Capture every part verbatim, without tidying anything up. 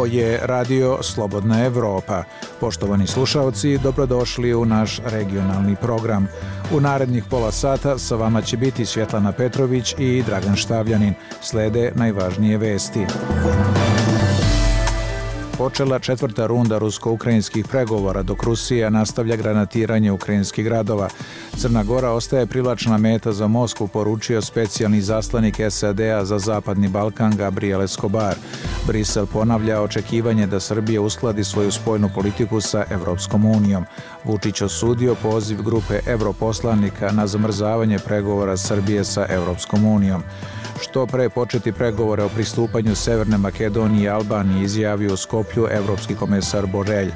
Ovo je Radio Slobodna Evropa. Poštovani slušalci, dobrodošli u naš regionalni program. U narednih pola sata sa vama će biti Svjetlana Petrović i Dragan Štavljanin. Slede najvažnije vesti. Počela četvrta runda rusko-ukrajinskih pregovora, dok Rusija nastavlja granatiranje ukrajinskih gradova. Crna Gora ostaje privlačna meta za Moskvu, poručio specijalni izaslanik S A D-a za Zapadni Balkan Gabriel Escobar. Brisel ponavlja očekivanje da Srbija uskladi svoju spoljnu politiku sa Evropskom unijom. Vučić osudio poziv grupe europoslanika na zamrzavanje pregovora Srbije sa Evropskom unijom. Što pre početi pregovore o pristupanju Severne Makedonije i Albanije, izjavio u Skoplju evropski komesar Borelj.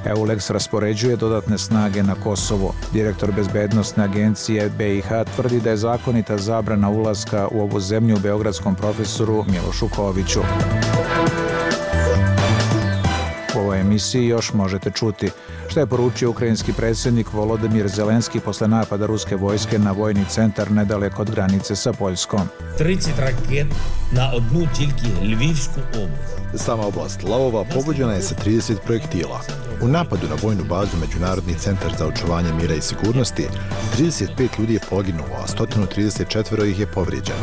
EULEX raspoređuje dodatne snage na Kosovo. Direktor bezbednosne agencije B i H tvrdi da je zakonita zabrana ulaska u ovu zemlju beogradskom profesoru Milošu Koviću. U ovoj emisiji još možete čuti šta je poručio ukrajinski predsjednik Volodimir Zelenski posle napada ruske vojske na vojni centar nedaleko od granice sa Poljskom. trideset raket na одну тільки Львівську область. Sama oblast Lavova pogođena je sa trideset projektila. U napadu na vojnu bazu Međunarodni centar za očuvanje mira i sigurnosti trideset pet ljudi je poginulo, a sto trideset četiri ih je povrijeđeno.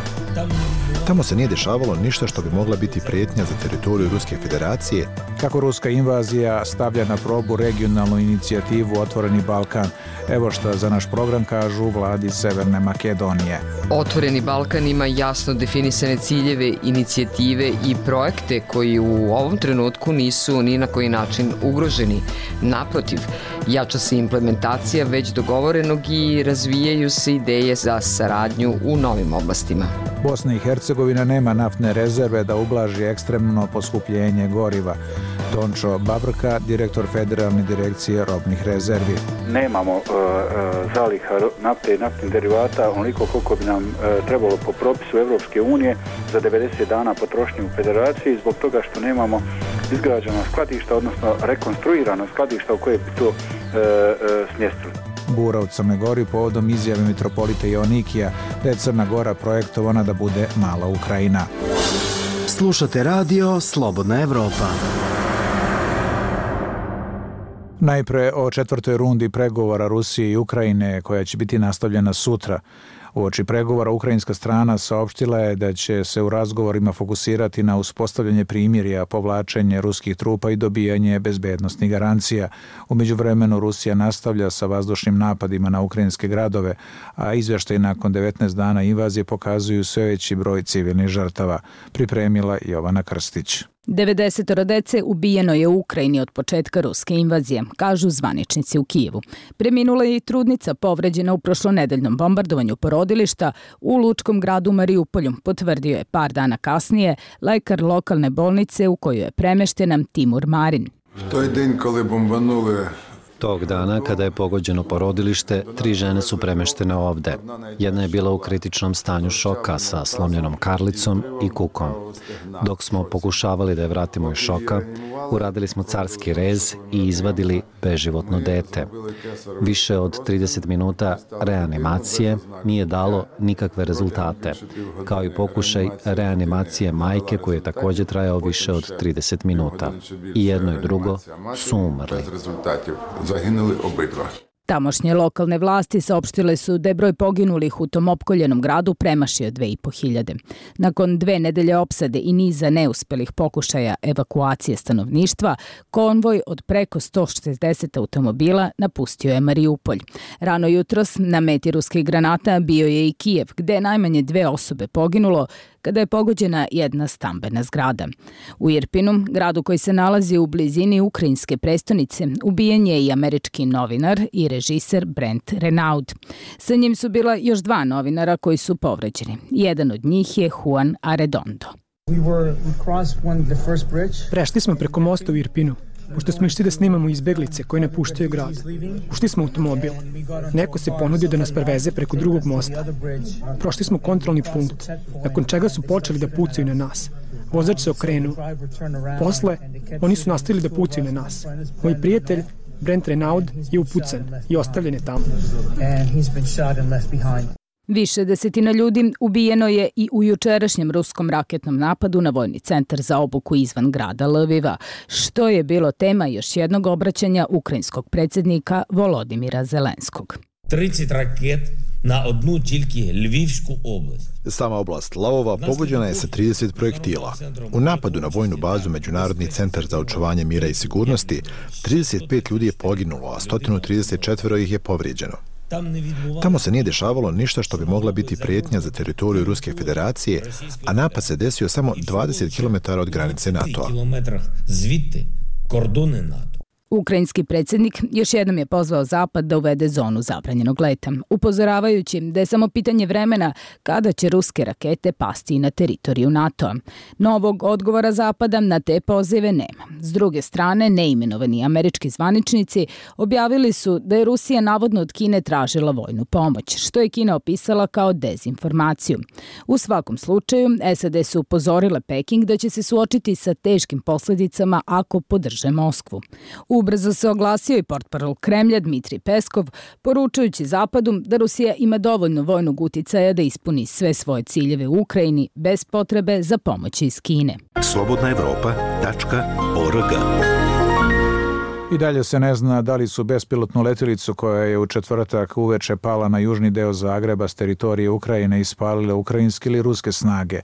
Tamo se nije dešavalo ništa što bi mogla biti prijetnja za teritoriju Ruske federacije. Kako ruska invazija stavlja na probu regionalnu inicijativu Otvoreni Balkan. Evo što za naš program kažu u vladi Severne Makedonije. Otvoreni Balkan ima jasno definisane ciljeve, inicijative i projekte koji u ovom trenutku nisu ni na koji način ugroženi. Naprotiv, jača se implementacija već dogovorenog i razvijaju se ideje za saradnju u novim oblastima. Bosna i Hercegovina nema naftne rezerve da ublaži ekstremno poskupljenje goriva. Tončo Babrka, direktor Federalne direkcije robnih rezervi. Nemamo uh, uh, zaliha nafte i naftnih derivata onoliko koliko bi nam uh, trebalo po propisu Evropske unije za devedeset dana potrošnje u federaciji, zbog toga što nemamo izgrađena skladišta, odnosno rekonstruirana skladišta u koje bi to uh, uh, smjestili. Bura u Crnoj Gori povodom izjave mitropolita Joanikija da je Crna Gora projektovana da bude mala Ukrajina. Slušate radio Slobodna Evropa. Najpre o četvrtoj rundi pregovora Rusije i Ukrajine koja će biti nastavljena sutra. Uoči pregovora ukrajinska strana saopštila je da će se u razgovorima fokusirati na uspostavljanje primirja, povlačenje ruskih trupa i dobijanje bezbednosnih garancija. U međuvremenu Rusija nastavlja sa vazdušnim napadima na ukrajinske gradove, a izvještaji nakon devetnaest dana invazije pokazuju sve veći broj civilnih žrtava. Pripremila Jovana Krstić. devedeset dece ubijeno je u Ukrajini od početka ruske invazije, kažu zvaničnici u Kijevu. Preminula je i trudnica povređena u prošlonedeljnom bombardovanju porodilišta u lučkom gradu Mariupolju, potvrdio je par dana kasnije lekar lokalne bolnice u kojoj je premešten Timur Marin. To je dan kada bombanule. Tog dana, kada je pogođeno porodilište, tri žene su premeštene ovde. Jedna je bila u kritičnom stanju šoka sa slomljenom karlicom i kukom. Dok smo pokušavali da je vratimo iz šoka, uradili smo carski rez i izvadili beživotno dete. Više od trideset minuta reanimacije nije dalo nikakve rezultate, kao i pokušaj reanimacije majke koji je također trajao više od trideset minuta. I jedno i drugo su umrli. Zaginuli obidva. Tamošnje lokalne vlasti saopštile su da je broj poginulih u tom opkoljenom gradu premašio dve i po hiljade. Nakon dve nedelje opsade i niza neuspelih pokušaja evakuacije stanovništva, konvoj od preko sto šezdeset automobila napustio je Mariupolj. Rano jutros na meti ruskih granata bio je i Kijev, gde je najmanje dve osobe poginulo kada je pogođena jedna stambena zgrada. U Irpinu, gradu koji se nalazi u blizini ukrajinske prestonice, ubijen je i američki novinar i režiser Brent Renaud. Sa njim su bila još dva novinara koji su povređeni. Jedan od njih je Juan Arredondo. Prešli smo preko mosta u Irpinu, pošto smo išli da snimamo izbeglice koje napuštaju grad. Ušli smo u automobil. Neko se ponudio da nas preveze preko drugog mosta. Prošli smo kontrolni punkt, nakon čega su počeli da pucaju na nas. Vozač se okrenuo. Posle, oni su nastavili da pucaju na nas. Moj prijatelj, Brent Renaud, je upucan i ostavljen je tamo. Više desetina ljudi ubijeno je i u jučerašnjem ruskom raketnom napadu na vojni centar za obuku izvan grada Lviva, što je bilo tema još jednog obraćanja ukrajinskog predsjednika Volodimira Zelenskog. trideset raket na одну тільки Львівську область. Sama oblast Lavova pogođena je sa trideset projektila. U napadu na vojnu bazu Međunarodni centar za očuvanje mira i sigurnosti trideset pet ljudi je poginulo, a sto trideset četiri ih je povrijeđeno. Tamo se nije dešavalo ništa što bi mogla biti prijetnja za teritoriju Ruske federacije, a napad se desio samo dvadeset kilometara od granice NATO-a. Ukrajinski predsjednik još jednom je pozvao Zapad da uvede zonu zabranjenog leta, upozoravajući da je samo pitanje vremena kada će ruske rakete pasti na teritoriju NATO-a. Novog odgovora Zapada na te pozive nema. S druge strane, neimenovani američki zvaničnici objavili su da je Rusija navodno od Kine tražila vojnu pomoć, što je Kina opisala kao dezinformaciju. U svakom slučaju, S A D su upozorile Peking da će se suočiti sa teškim posljedicama ako podrže Moskvu. Ubrzo se oglasio i portparol Kremlja Dmitrij Peskov, poručujući Zapadu da Rusija ima dovoljno vojnog uticaja da ispuni sve svoje ciljeve u Ukrajini bez potrebe za pomoć iz Kine. slobodna evropa tačka org. I dalje se ne zna da li su bespilotnu letjelicu koja je u četvrtak uveče pala na južni deo Zagreba s teritorije Ukrajine ispalile ukrajinske ili ruske snage.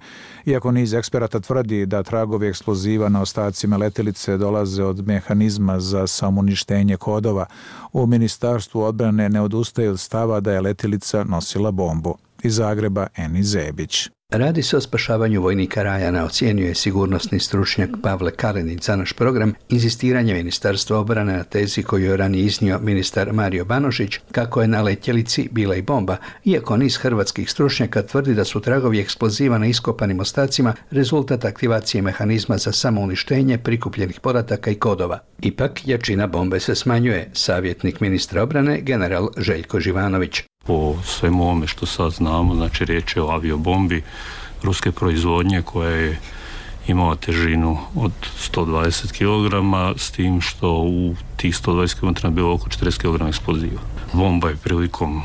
Iako niz eksperata tvrdi da tragovi eksploziva na ostacima letjelice dolaze od mehanizma za samouništenje kodova, u Ministarstvu odbrane ne odustaju od stava da je letjelica nosila bombu. Iz Zagreba Eni Zebić. Radi se o spašavanju vojnika Rajana, ocijenio je sigurnosni stručnjak Pavle Kalinić za naš program, inzistiranje Ministarstva obrane na tezi koju je ranije iznio ministar Mario Banožić, kako je na letjelici bila i bomba, iako niz hrvatskih stručnjaka tvrdi da su tragovi eksploziva na iskopanim ostacima rezultat aktivacije mehanizma za samouništenje prikupljenih podataka i kodova. Ipak, jačina bombe se smanjuje, savjetnik ministra obrane general Željko Živanović. Po svemu ovome što sad znamo, znači riječ je o aviobombi ruske proizvodnje koja je imala težinu od sto dvadeset kilograma, s tim što u tih sto dvadeset kilograma bilo oko četrdeset kilograma eksploziva. Bomba je prilikom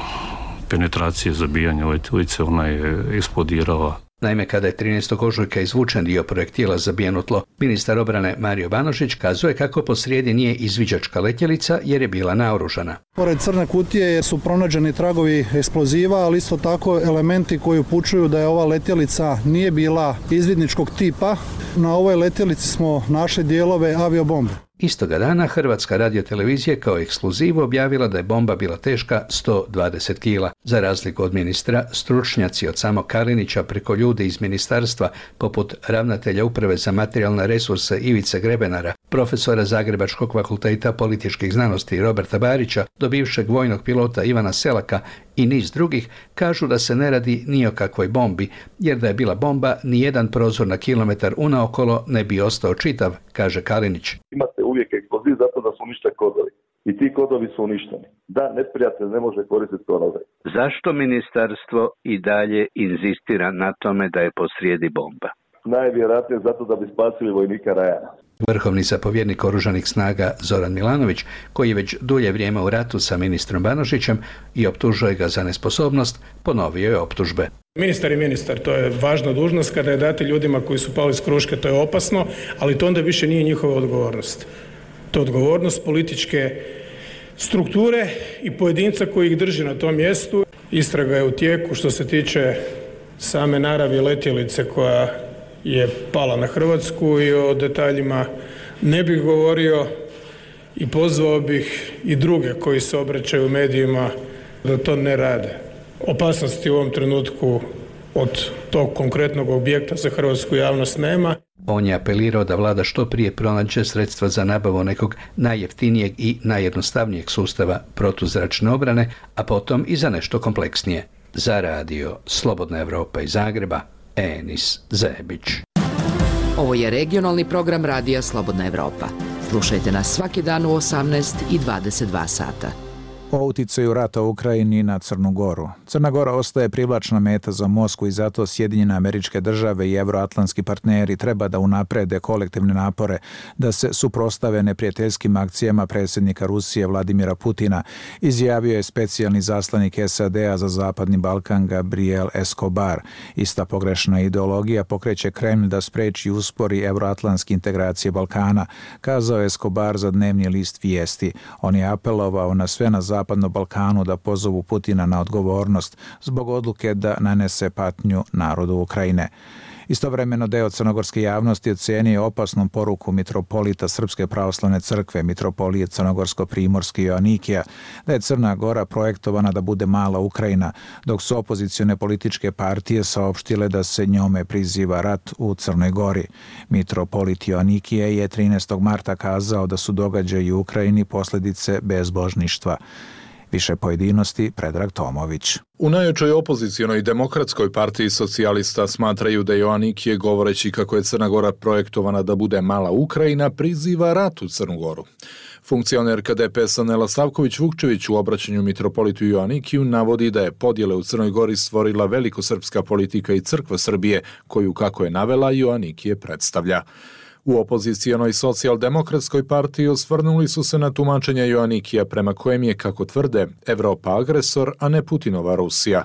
penetracije zabijanja letjelice, ona je eksplodirala. Naime, kada je trinaestog ožujka izvučen dio projektila zabijeno tlo, ministar obrane Mario Banožić kazuje kako posrijedi nije izviđačka letjelica jer je bila naoružana. Pored crne kutije su pronađeni tragovi eksploziva, ali isto tako elementi koji upućuju da je ova letjelica nije bila izvidničkog tipa. Na ovoj letjelici smo našli dijelove aviobombe. Istoga dana Hrvatska radiotelevizija kao ekskluzivu objavila da je bomba bila teška sto dvadeset kila. Za razliku od ministra, stručnjaci od samog Kalinića preko ljude iz ministarstva, poput ravnatelja Uprave za materijalne resurse Ivice Grebenara, profesora Zagrebačkog fakulteta političkih znanosti Roberta Barića, do bivšeg vojnog pilota Ivana Selaka i niz drugih, kažu da se ne radi ni o kakvoj bombi, jer da je bila bomba, ni jedan prozor na kilometar unaokolo ne bi ostao čitav, kaže Kalinić. Imate uvijek eksploziv zato da su uništeni kodovi. I ti kodovi su uništeni. Da, neprijatelj ne može koristiti kodove. Zašto ministarstvo i dalje inzistira na tome da je posrijedi bomba? Najvjerojatnije zato da bi spasili vojnika Rajana. Vrhovni zapovjednik oružanih snaga Zoran Milanović, koji je već dulje vrijeme u ratu sa ministrom Banožićem i optužuje ga za nesposobnost, ponovio je optužbe. Ministar je ministar, to je važna dužnost, kada je dati ljudima koji su pali s kruške, to je opasno, ali to onda više nije njihova odgovornost. To je odgovornost političke strukture i pojedinca koji ih drži na tom mjestu. Istraga je u tijeku što se tiče same naravi letjelice koja je pala na Hrvatsku i o detaljima ne bih govorio i pozvao bih i druge koji se obraćaju medijima da to ne rade. Opasnosti u ovom trenutku od tog konkretnog objekta za hrvatsku javnost nema. On je apelirao da vlada što prije pronađe sredstva za nabavu nekog najjeftinijeg i najjednostavnijeg sustava protuzračne obrane, a potom i za nešto kompleksnije. Za radio Slobodna Evropa iz Zagreba, Enis Zebić. Ovo je regionalni program radija Slobodna Evropa. Slušajte nas svaki dan u osamnaest i dvadeset dva sata. O uticaju rata u Ukrajini na Crnu Goru. Crna Gora ostaje privlačna meta za Moskvu i zato Sjedinjene Američke Države i evroatlantski partneri treba da unaprede kolektivne napore da se suprostave neprijateljskim akcijama predsjednika Rusije Vladimira Putina, izjavio je specijalni zaslanik S A D-a za Zapadni Balkan Gabriel Escobar. Ista pogrešna ideologija pokreće Kremlj da spreči i uspori evroatlantske integracije Balkana, kazao je Escobar za dnevni list Vijesti. On je apelovao na sve na Zapadnom Balkanu da pozovu Putina na odgovornost zbog odluke da nanese patnju narodu Ukrajine. Istovremeno deo crnogorske javnosti ocenio opasnom poruku mitropolita Srpske pravoslavne crkve, mitropolije Crnogorsko-Primorske Joanikija, da je Crna Gora projektovana da bude mala Ukrajina, dok su opozicione političke partije saopštile da se njome priziva rat u Crnoj Gori. Mitropolit Joanikije je trinaestog marta kazao da su događaji u Ukrajini posljedice bezbožništva. Više pojedinosti, Predrag Tomović. U najjačoj opozicionoj demokratskoj partiji socijalista smatraju da Joanikije, govoreći kako je Crna Gora projektovana da bude mala Ukrajina, priziva rat u Crnu Goru. Funkcionerka D P S-a Nela Savković-Vukčević u obraćanju mitropolitu Joanikiju navodi da je podjele u Crnoj Gori stvorila velikosrpska politika i crkva Srbije, koju, kako je navela, Joanikije predstavlja. U opozicijonoj socijaldemokratskoj partiji osvrnuli su se na tumačenja Joanikija prema kojem je, kako tvrde, Evropa agresor, a ne Putinova Rusija.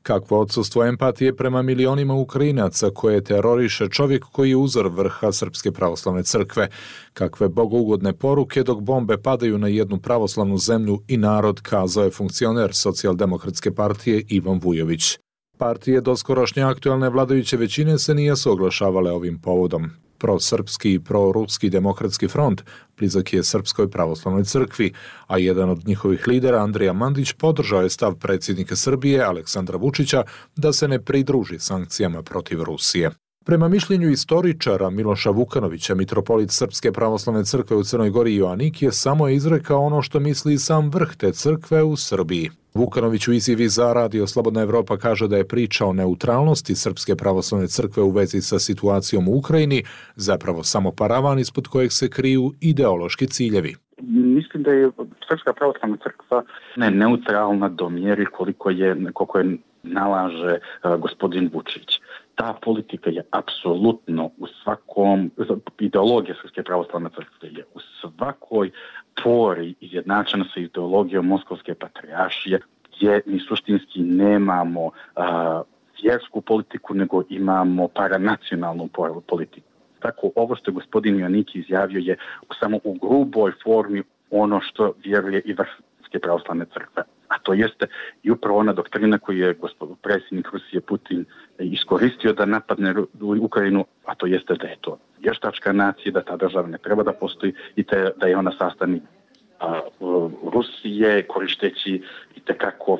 Kakvo odsustvo empatije prema milionima Ukrajinaca koje teroriše čovjek koji je uzor vrha Srpske pravoslavne crkve. Kakve bogougodne poruke dok bombe padaju na jednu pravoslavnu zemlju i narod, kazao je funkcioner socijaldemokratske partije Ivan Vujović. Partije doskorošnje aktualne vladajuće većine se nisu oglašavale ovim povodom. Prosrpski i proruski demokratski front blizak je Srpskoj pravoslavnoj crkvi, a jedan od njihovih lidera, Andrija Mandić, podržao je stav predsjednika Srbije, Aleksandra Vučića, da se ne pridruži sankcijama protiv Rusije. Prema mišljenju istoričara Miloša Vukanovića, mitropolit Srpske pravoslavne crkve u Crnoj Gori Joanikije samo je izrekao ono što misli sam vrh te crkve u Srbiji. Vukanović u izjavi za Radio Slobodna Evropa kaže da je priča o neutralnosti Srpske pravoslavne crkve u vezi sa situacijom u Ukrajini zapravo samo paravan ispod kojeg se kriju ideološki ciljevi. Mislim da je Srpska pravoslavna crkva ne neutralna do mjeri koliko je, koliko je nalaže uh, gospodin Vučić. Ta politika je apsolutno u svakom, ideologija Srpske pravoslavne crkve je u svakoj pori izjednačena sa ideologijom Moskovske patrijaršije, gdje mi suštinski nemamo a, vjersku politiku, nego imamo paranacionalnu politiku. Tako, ovo što je gospodin Joaniki izjavio je samo u gruboj formi ono što vjeruje i vrh Srpske pravoslavne crkve. A to jeste i upravo ona doktrina koju je gospodin predsjednik Rusije Putin iskoristio da napadne Ukrajinu, a to jeste da je to vještačka nacija, da ta država ne treba da postoji i te, da je ona sastavni a, Rusije, koristeći i tekako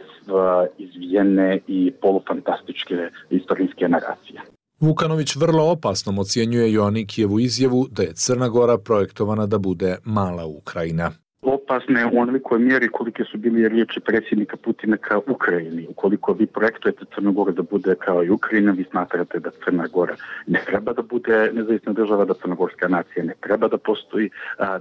izvijene i polufantastičke istorijske naracije. Vukanović vrlo opasnom ocjenjuje Joanikijevu izjavu da je Crna Gora projektovana da bude mala Ukrajina. Opasne u onolikoj mjeri kolike su bili riječi predsjednika Putina kao Ukrajini. Ukoliko vi projektujete Crnu Goru da bude kao i Ukrajina, vi smatrate da Crna Gora ne treba da bude nezavisna država, da crnogorska nacija ne treba da postoji,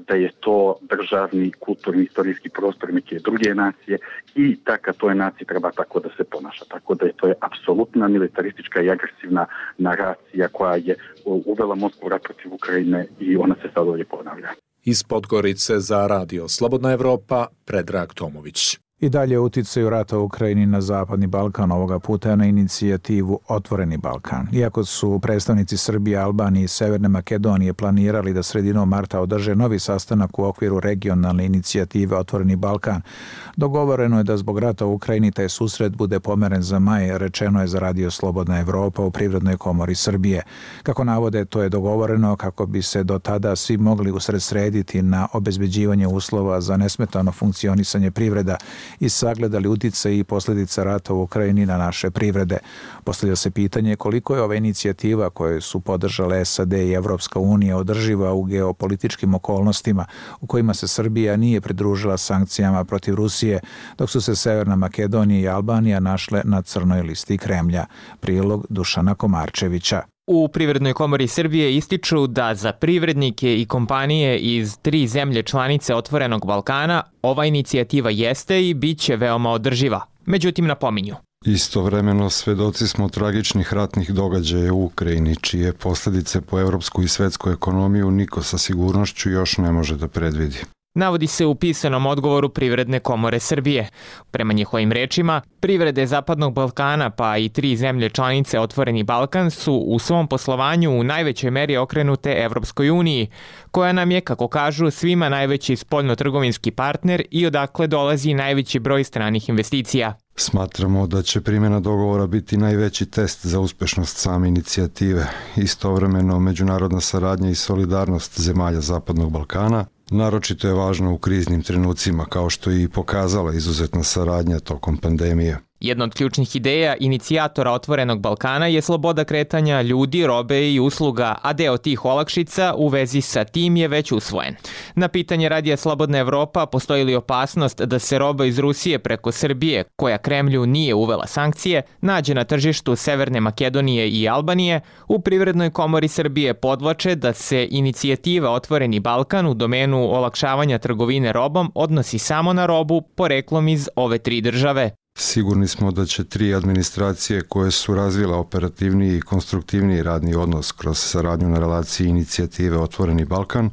da je to državni, kulturni, istorijski prostor neke druge nacije i taka toj naciji treba tako da se ponaša. Tako da je to je apsolutna militaristička i agresivna naracija koja je uvela Moskvu rat protiv Ukrajine i ona se sad ovdje ponavlja. Iz Podgorice za Radio Slobodna Evropa, Predrag Tomović. I dalje uticaju rata u Ukrajini na Zapadni Balkan, ovoga puta na inicijativu Otvoreni Balkan. Iako su predstavnici Srbije, Albanije i Severne Makedonije planirali da sredinom marta održe novi sastanak u okviru regionalne inicijative Otvoreni Balkan, dogovoreno je da zbog rata u Ukrajini taj susret bude pomeren za maj, rečeno je za Radio Slobodna Evropa u Privrednoj komori Srbije. Kako navode, to je dogovoreno kako bi se do tada svi mogli usredsrediti na obezbeđivanje uslova za nesmetano funkcionisanje privreda i sagledali uticaj i posljedica rata u Ukrajini na naše privrede. Postavlja se pitanje koliko je ova inicijativa koju su podržale S A D i Evropska unija održiva u geopolitičkim okolnostima u kojima se Srbija nije pridružila sankcijama protiv Rusije, dok su se Severna Makedonija i Albanija našle na crnoj listi Kremlja. Prilog Dušana Komarčevića. U Privrednoj komori Srbije ističu da za privrednike i kompanije iz tri zemlje članice Otvorenog Balkana ova inicijativa jeste i bit će veoma održiva. Međutim, napominju. Istovremeno svedoci smo tragičnih ratnih događaja u Ukrajini, čije posljedice po evropsku i svetsku ekonomiju niko sa sigurnošću još ne može da predvidi. Navodi se u pisanom odgovoru Privredne komore Srbije. Prema njihovim rečima, privrede Zapadnog Balkana pa i tri zemlje članice Otvoreni Balkan su u svom poslovanju u najvećoj meri okrenute Evropskoj uniji, koja nam je, kako kažu, svima najveći spoljno-trgovinski partner i odakle dolazi najveći broj stranih investicija. Smatramo da će primjena dogovora biti najveći test za uspešnost same inicijative. Istovremeno, međunarodna saradnja i solidarnost zemalja Zapadnog Balkana naročito je važno u kriznim trenucima, kao što je i pokazala izuzetna saradnja tokom pandemije. Jedna od ključnih ideja inicijatora Otvorenog Balkana je sloboda kretanja ljudi, robe i usluga, a deo tih olakšica u vezi sa tim je već usvojen. Na pitanje Radija Slobodna Evropa postoji li opasnost da se roba iz Rusije preko Srbije, koja Kremlju nije uvela sankcije, nađe na tržištu Severne Makedonije i Albanije, u Privrednoj komori Srbije podvlače da se inicijativa Otvoreni Balkan u domenu olakšavanja trgovine robom odnosi samo na robu poreklom iz ove tri države. Sigurni smo da će tri administracije koje su razvile operativniji i konstruktivniji radni odnos kroz saradnju na relaciji inicijative Otvoreni Balkan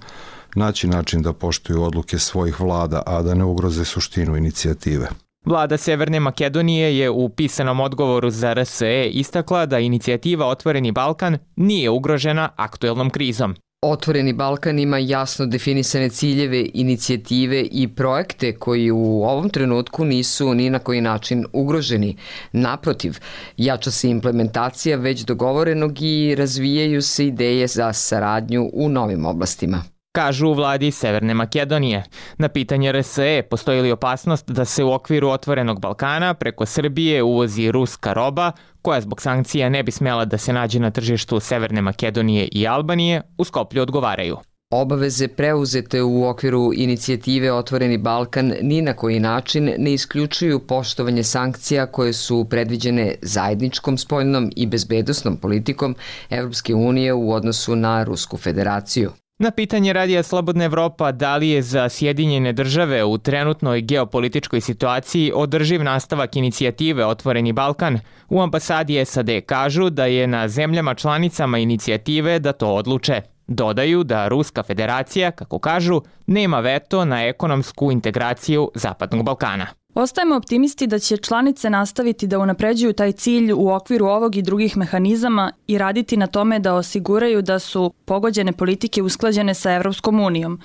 naći način da poštuju odluke svojih vlada, a da ne ugroze suštinu inicijative. Vlada Severne Makedonije je u pisanom odgovoru za R S E istakla da inicijativa Otvoreni Balkan nije ugrožena aktuelnom krizom. Otvoreni Balkan ima jasno definisane ciljeve, inicijative i projekte koji u ovom trenutku nisu ni na koji način ugroženi. Naprotiv, jača se implementacija već dogovorenog i razvijaju se ideje za saradnju u novim oblastima. Kažu u vladi Severne Makedonije. Na pitanje R S E postoji li opasnost da se u okviru Otvorenog Balkana preko Srbije uvozi ruska roba, koja zbog sankcija ne bi smjela da se nađe na tržištu Severne Makedonije i Albanije, u Skoplju odgovaraju. Obaveze preuzete u okviru inicijative Otvoreni Balkan ni na koji način ne isključuju poštovanje sankcija koje su predviđene zajedničkom spoljnom i bezbednosnom politikom Evropske unije u odnosu na Rusku federaciju. Na pitanje Radija Slobodna Evropa da li je za Sjedinjene države u trenutnoj geopolitičkoj situaciji održiv nastavak inicijative Otvoreni Balkan, u ambasadi S A D kažu da je na zemljama članicama inicijative da to odluče. Dodaju da Ruska federacija, kako kažu, nema veto na ekonomsku integraciju Zapadnog Balkana. Ostajemo optimisti da će članice nastaviti da unapređuju taj cilj u okviru ovog i drugih mehanizama i raditi na tome da osiguraju da su pogođene politike usklađene sa Evropskom unijom.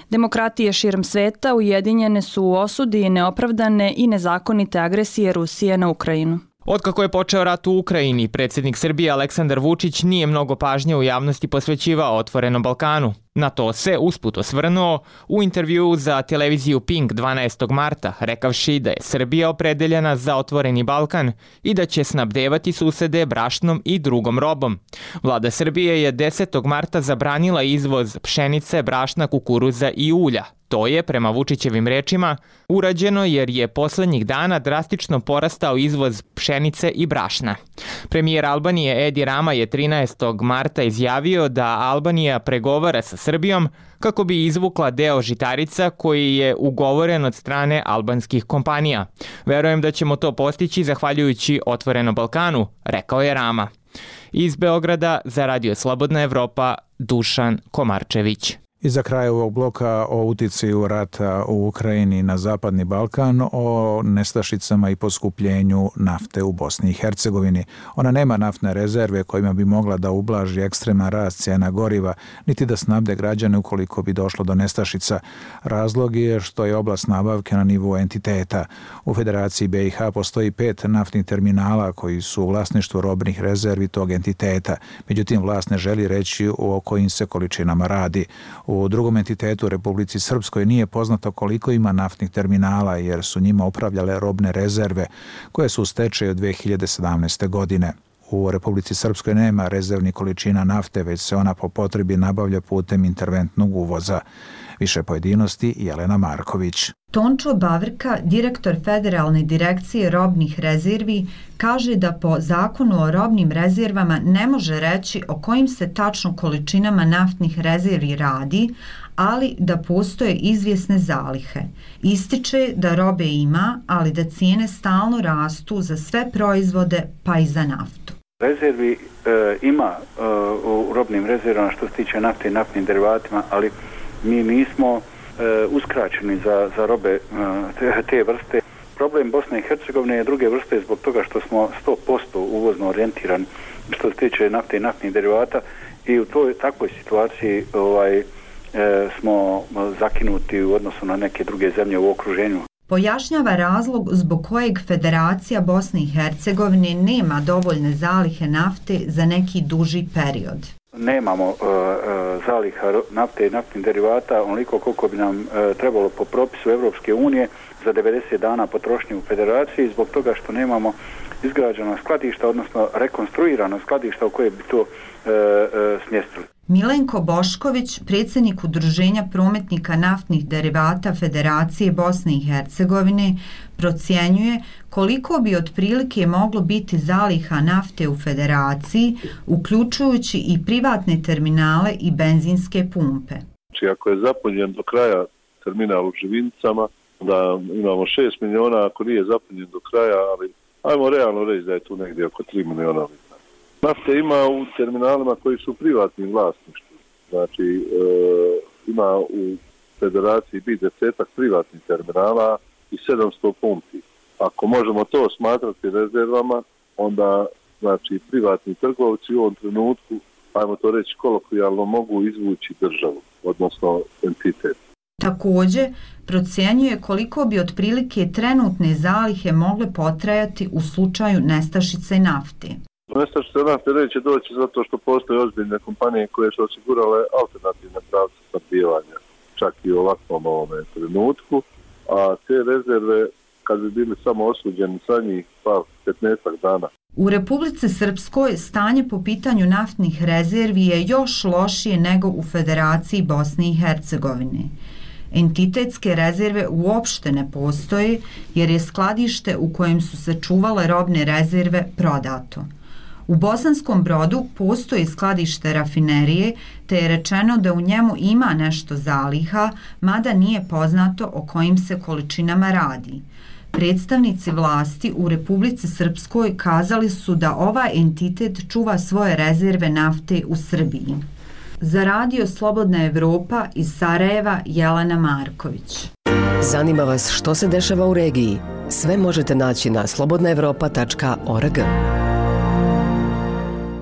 Demokratije širom sveta ujedinjene su u osudi neopravdane i nezakonite agresije Rusije na Ukrajinu. Otkako je počeo rat u Ukrajini, predsjednik Srbije Aleksandar Vučić nije mnogo pažnje u javnosti posvećivao Otvorenom Balkanu. Na to se usput osvrnuo u intervjuu za televiziju Pink dvanaestog marta, rekavši da je Srbija opredeljena za Otvoreni Balkan i da će snabdevati susede brašnom i drugom robom. Vlada Srbije je desetog marta zabranila izvoz pšenice, brašna, kukuruza i ulja. To je, prema Vučićevim rečima, urađeno jer je poslednjih dana drastično porastao izvoz pšenice i brašna. Premijer Albanije Edi Rama je trinaestog marta izjavio da Albanija pregovara sa Srbijom kako bi izvukla deo žitarica koji je ugovoren od strane albanskih kompanija. Verujem da ćemo to postići zahvaljujući Otvorenom Balkanu, rekao je Rama. Iz Beograda za Radio Slobodna Evropa, Dušan Komarčević. I za kraj ovog bloka o uticaju rata u Ukrajini na Zapadni Balkan, o nestašicama i poskupljenju nafte u Bosni i Hercegovini. Ona nema naftne rezerve kojima bi mogla da ublaži ekstreman rast cijena goriva, niti da snabde građane ukoliko bi došlo do nestašica. Razlog je što je oblast nabavke na nivou entiteta. U Federaciji B i H postoji pet naftnih terminala koji su u vlasništvu robnih rezervi tog entiteta. Međutim, vlast ne želi reći o kojim se količinama radi. U drugom entitetu, Republici Srpskoj, nije poznato koliko ima naftnih terminala jer su njima upravljale robne rezerve koje su u stečaju od dve hiljade sedamnaeste. godine. U Republici Srpskoj nema rezervnih količina nafte, već se ona po potrebi nabavlja putem interventnog uvoza. Više pojedinosti Jelena Marković. Tončo Bavrka, direktor Federalne direkcije robnih rezervi, kaže da po zakonu o robnim rezervama ne može reći o kojim se tačno količinama naftnih rezervi radi, ali da postoje izvjesne zalihe. Ističe da robe ima, ali da cijene stalno rastu za sve proizvode, pa i za naftu. Rezervi e, ima e, u robnim rezervama što se tiče nafte i naftnim derivatima, ali mi nismo e, uskraćeni za, za robe e, te, te vrste. Problem Bosne i Hercegovine je druge vrste zbog toga što smo sto posto uvozno orijentirani što se tiče nafte i naftnih derivata i u toj takvoj situaciji ovaj, e, smo zakinuti u odnosu na neke druge zemlje u okruženju. Pojašnjava razlog zbog kojeg Federacija Bosne i Hercegovine nema dovoljne zalihe nafte za neki duži period. Nemamo uh, uh, zaliha nafte i naftnih derivata onoliko koliko bi nam uh, trebalo po propisu Evropske unije za devedeset dana potrošnje u Federaciji zbog toga što nemamo izgrađena skladišta, odnosno rekonstruirana skladišta u koje bi to uh, uh, smjestili. Milenko Bošković, predsjednik Udruženja prometnika naftnih derivata Federacije Bosne i Hercegovine, procjenjuje koliko bi otprilike moglo biti zaliha nafte u Federaciji, uključujući i privatne terminale i benzinske pumpe. Znači, ako je zapunjen do kraja terminal u Živinicama, da imamo šest miliona, ako nije zapunjen do kraja, ali ajmo realno reći da je tu negdje oko tri miliona. Nafte ima u terminalima koji su privatnim vlasništvom. Znači, e, ima u Federaciji biti desetak privatnih terminala i sedamsto pumpi. Ako možemo to smatrati rezervama, onda znači, privatni trgovci u ovom trenutku, ajmo to reći kolokvijalno, mogu izvući državu, odnosno entitet. Također, procjenjuje koliko bi otprilike trenutne zalihe mogle potrajati u slučaju nestašice nafte. Nestašica nafte neće doći zato što postoje ozbiljne kompanije koje su osigurale alternativne pravce snabdijevanja, čak i u ovakvom ovome trenutku, a te rezerve, kad bi bili samo osuđeni sa njih, pa petnaestak dana. U Republici Srpskoj stanje po pitanju naftnih rezervi je još lošije nego u Federaciji Bosne i Hercegovine. Entitetske rezerve uopšte ne postoje jer je skladište u kojem su se čuvale robne rezerve prodato. U Bosanskom Brodu postoji skladište rafinerije, te je rečeno da u njemu ima nešto zaliha, mada nije poznato o kojim se količinama radi. Predstavnici vlasti u Republici Srpskoj kazali su da ovaj entitet čuva svoje rezerve nafte u Srbiji. Za radio Slobodna Evropa iz Sarajeva, Jelena Marković. Zanima vas što se dešava u regiji? Sve možete naći na slobodna evropa tačka org.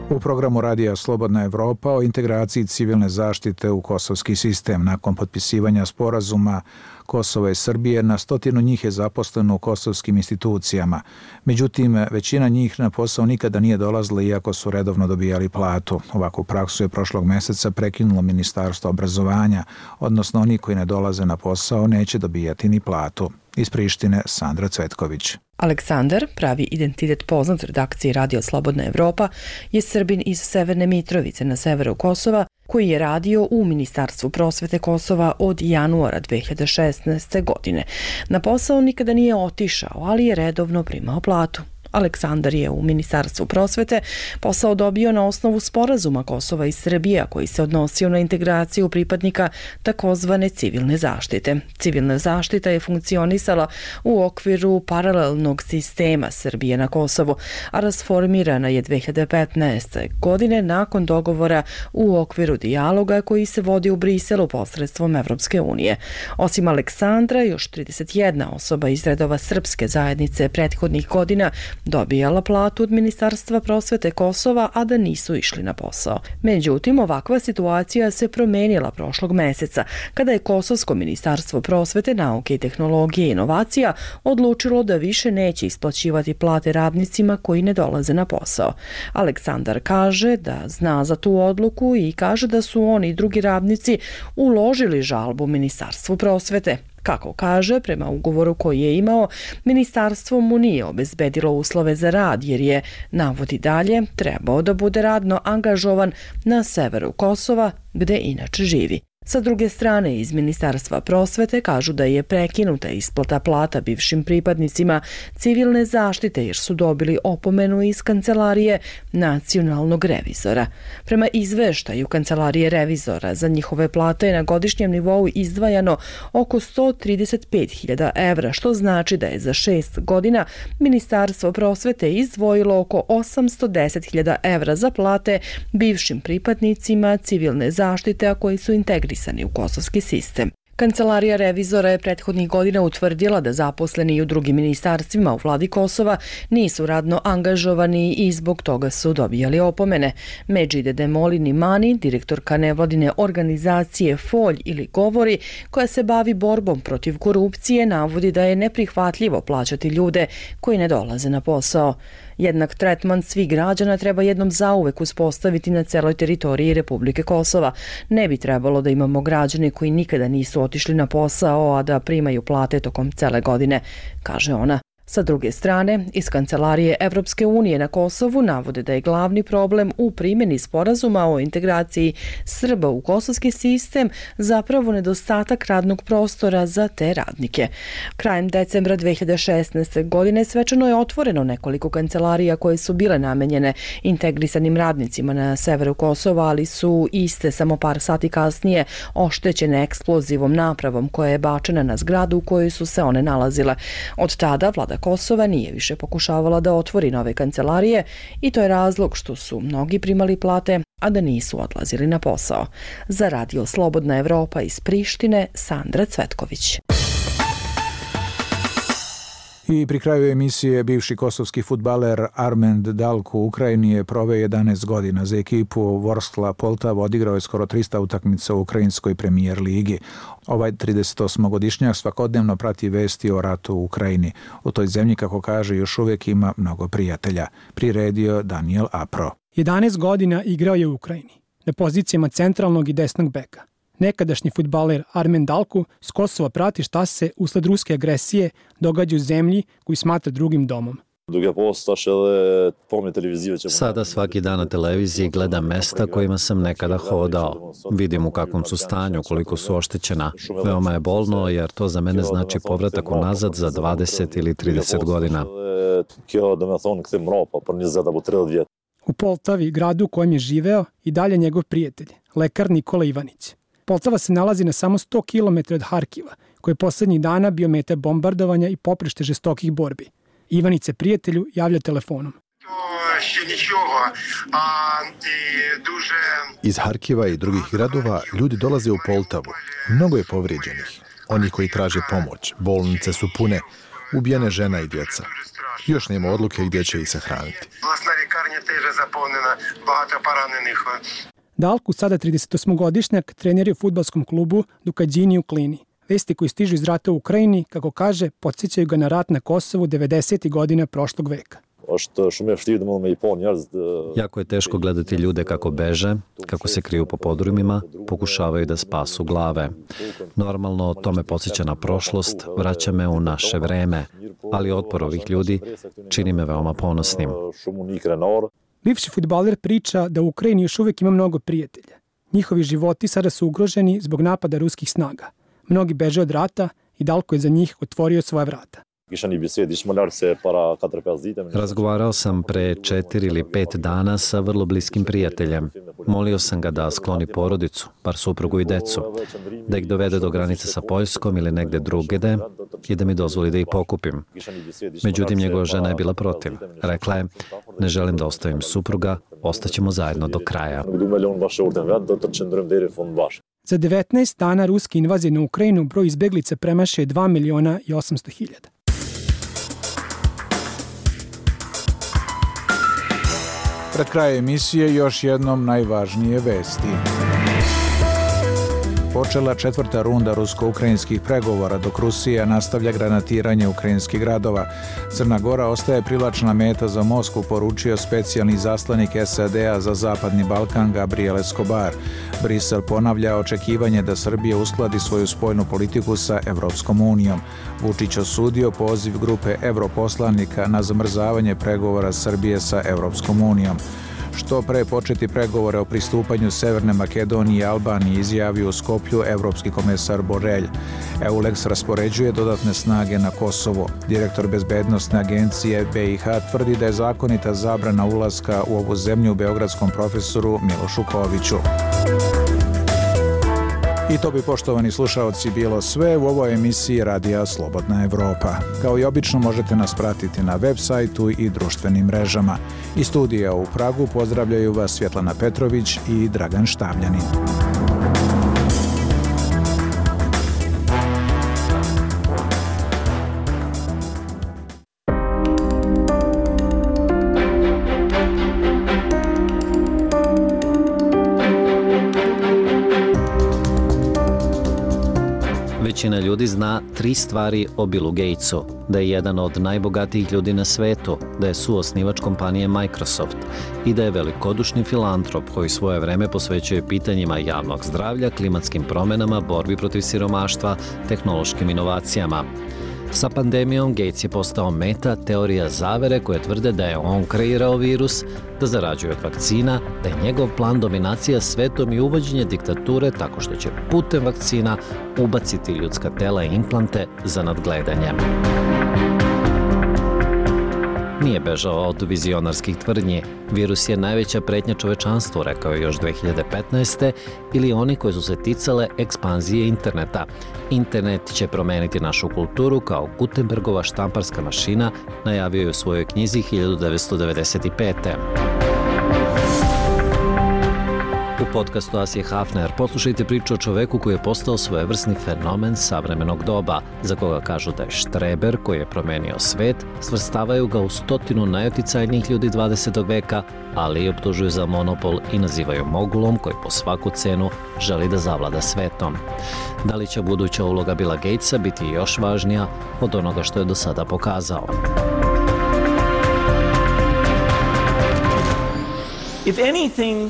U programu radija Slobodna Evropa o integraciji civilne zaštite u kosovski sistem nakon potpisivanja sporazuma Kosova i Srbije, na stotinu njih je zaposleno u kosovskim institucijama. Međutim, većina njih na posao nikada nije dolazila iako su redovno dobijali platu. Ovakvu praksu je prošlog meseca prekinulo Ministarstvo obrazovanja, odnosno oni koji ne dolaze na posao neće dobijati ni platu. Iz Prištine, Sandra Cvetković. Aleksandar, pravi identitet poznat redakciji Radio Slobodna Evropa, je Srbin iz Severne Mitrovice na severu Kosova, koji je radio u Ministarstvu prosvete Kosova od januara dve hiljade šesnaeste. godine. Na posao nikada nije otišao, ali je redovno primao platu. Aleksandar je u Ministarstvu prosvete posao dobio na osnovu sporazuma Kosova i Srbije koji se odnosio na integraciju pripadnika takozvane civilne zaštite. Civilna zaštita je funkcionisala u okviru paralelnog sistema Srbije na Kosovu, a rasformirana je dve hiljade petnaeste. godine nakon dogovora u okviru dijaloga koji se vodi u Briselu posredstvom Evropske unije. Osim Aleksandra, još trideset jedna osoba iz redova srpske zajednice prethodnih godina dobijala platu od Ministarstva prosvete Kosova, a da nisu išli na posao. Međutim, ovakva situacija se promenila prošlog meseca, kada je Kosovsko ministarstvo prosvete, nauke i tehnologije i inovacija odlučilo da više neće isplaćivati plate radnicima koji ne dolaze na posao. Aleksandar kaže da zna za tu odluku i kaže da su oni i drugi radnici uložili žalbu Ministarstvu prosvete. Kako kaže, prema ugovoru koji je imao, ministarstvo mu nije obezbedilo uslove za rad jer je, navodi dalje, trebao da bude radno angažovan na severu Kosova, gde inače živi. Sa druge strane, iz Ministarstva prosvete kažu da je prekinuta isplata plata bivšim pripadnicima civilne zaštite jer su dobili opomenu iz Kancelarije nacionalnog revizora. Prema izveštaju Kancelarije revizora za njihove plate je na godišnjem nivou izdvajano oko sto trideset pet hiljada evra, što znači da je za šest godina Ministarstvo prosvete izdvojilo oko osamsto deset hiljada evra za plate bivšim pripadnicima civilne zaštite, a koji su integrisani u kosovski sistem. Kancelarija revizora je prethodnih godina utvrdila da zaposleni i u drugim ministarstvima u vladi Kosova nisu radno angažovani i zbog toga su dobijali opomene. Medžide Demolin Imani, direktorka nevladine organizacije Folj ili Govori, koja se bavi borbom protiv korupcije, navodi da je neprihvatljivo plaćati ljude koji ne dolaze na posao. Jednak tretman svih građana treba jednom zauvek uspostaviti na celoj teritoriji Republike Kosova. Ne bi trebalo da imamo građane koji nikada nisu otišli na posao, a da primaju plate tokom cele godine, kaže ona. Sa druge strane, iz Kancelarije Evropske unije na Kosovu navode da je glavni problem u primjeni sporazuma o integraciji Srba u kosovski sistem zapravo nedostatak radnog prostora za te radnike. Krajem decembra dve hiljade šesnaeste. godine svečano je otvoreno nekoliko kancelarija koje su bile namenjene integrisanim radnicima na severu Kosova, ali su iste samo par sati kasnije oštećene eksplozivom napravom koja je bačena na zgradu u kojoj su se one nalazile. Od tada vlada Kosova nije više pokušavala da otvori nove kancelarije i to je razlog što su mnogi primali plate, a da nisu odlazili na posao. Za Radio Slobodna Evropa iz Prištine, Sandra Cvetković. I pri kraju emisije bivši kosovski fudbaler Armend Dalku u Ukrajini je proveo jedanaest godina. Za ekipu Vorskla Poltava odigrao je skoro trista utakmica u ukrajinskoj premijer ligi. Ovaj tridesetosmogodišnjak svakodnevno prati vesti o ratu u Ukrajini. U toj zemlji, kako kaže, još uvijek ima mnogo prijatelja. Priredio Daniel Apro. jedanaest godina igrao je u Ukrajini, na pozicijama centralnog i desnog beka. Nekadašnji fudbaler Armen Dalku s Kosova prati šta se usled ruske agresije događa u zemlji koju smatra drugim domom. Sada svaki dan na televiziji gledam mesta kojima sam nekada hodao. Vidim u kakvom su stanju, koliko su oštećena. Veoma je bolno jer to za mene znači povratak unazad za dvadeset ili trideset godina. U Poltavi, gradu u kojem je živeo, i dalje njegov prijatelj, lekar Nikola Ivanić. Poltava se nalazi na samo sto kilometara od Harkiva, koji je poslednjih dana bio meta bombardovanja i poprište žestokih borbi. Ivanić se prijatelju javlja telefonom. Iz Harkiva i drugih gradova ljudi dolaze u Poltavu. Mnogo je povrijeđenih. Oni koji traže pomoć. Bolnice su pune. Ubijene žena i djeca. Još nema odluke gdje će ih sahraniti. Dalku, sada tridesetosmogodišnjak, trener je u fudbalskom klubu Dukadžini u Klini. Vesti koji stižu iz rata u Ukrajini, kako kaže, podsjećaju ga na rat na Kosovu devedesetih godina prošlog veka. Jako je teško gledati ljude kako beže, kako se kriju po podrumima, pokušavaju da spasu glave. Normalno, to me podsjeća na prošlost, vraća me u naše vreme, ali otpor ovih ljudi čini me veoma ponosnim. Bivši fudbaler priča da u Ukrajini još uvijek ima mnogo prijatelja. Njihovi životi sada su ugroženi zbog napada ruskih snaga. Mnogi beže od rata i Dalko je za njih otvorio svoja vrata. Razgovarao sam pre četiri ili pet dana sa vrlo bliskim prijateljem. Molio sam ga da skloni porodicu, par suprugu i decu, da ih dovede do granice sa Poljskom ili negde drugde i da mi dozvoli da ih pokupim. Međutim, njegova žena je bila protiv. Rekla je, ne želim da ostavim supruga, ostaćemo zajedno do kraja. Za devetnaest dana ruske invazije na Ukrajinu broj izbeglica premašio je dva miliona i osamsto hiljada. Pred krajem emisije još jednom najvažnije vesti. Počela četvrta runda rusko-ukrajinskih pregovora, dok Rusija nastavlja granatiranje ukrajinskih gradova. Crna Gora ostaje privlačna meta za Moskvu, poručio specijalni izaslanik S A D-a za Zapadni Balkan Gabriel Escobar. Brisel ponavlja očekivanje da Srbija uskladi svoju spoljnu politiku sa Evropskom unijom. Vučić osudio poziv grupe europoslanika na zamrzavanje pregovora Srbije sa Evropskom unijom. što pre početi pregovore o pristupanju Severne Makedonije i Albanije, izjavio u Skoplju evropski komesar Borrell. EULEX raspoređuje dodatne snage na Kosovo. Direktor bezbednosne agencije B i H tvrdi da je zakonita zabrana ulaska u ovu zemlju beogradskom profesoru Milošu Koviću. I to bi, poštovani slušaoci, bilo sve u ovoj emisiji Radija Slobodna Evropa. Kao i obično možete nas pratiti na web sajtu i društvenim mrežama. Iz studija u Pragu pozdravljaju vas Svjetlana Petrović i Dragan Štavljanin. Većina ljudi zna tri stvari o Billu Gatesu. Da je jedan od najbogatijih ljudi na svetu, da je suosnivač kompanije Microsoft i da je velikodušni filantrop koji svoje vreme posvećuje pitanjima javnog zdravlja, klimatskim promenama, borbi protiv siromaštva, tehnološkim inovacijama. Sa pandemijom Gates je postao meta teorija zavere koje tvrde da je on kreirao virus, da zarađuje od vakcina, da je njegov plan dominacija svetom i uvođenje diktature tako što će putem vakcina ubaciti ljudska tela i implante za nadgledanje. Nije bežao od vizionarskih tvrdnji. Virus je najveća pretnja čovečanstvu, rekao je još dve hiljade petnaeste. ili oni koji su se ticale ekspanzije interneta. Internet će promeniti našu kulturu kao Gutenbergova štamparska mašina, najavio je u svojoj knjizi hiljadu devetsto devedeset pete. U podcastu Asije Hafner poslušajte priču o čoveku koji je postao svojevrsni fenomen savremenog doba, za koga kažu da je štreber koji je promenio svet, svrstavaju ga u stotinu najoticajnijih ljudi dvadesetog veka, ali i optužuju za monopol i nazivaju mogulom koji po svaku cenu želi da zavlada svetom. Da li će buduća uloga Billa Gatesa biti još važnija od onoga što je do sada pokazao? If anything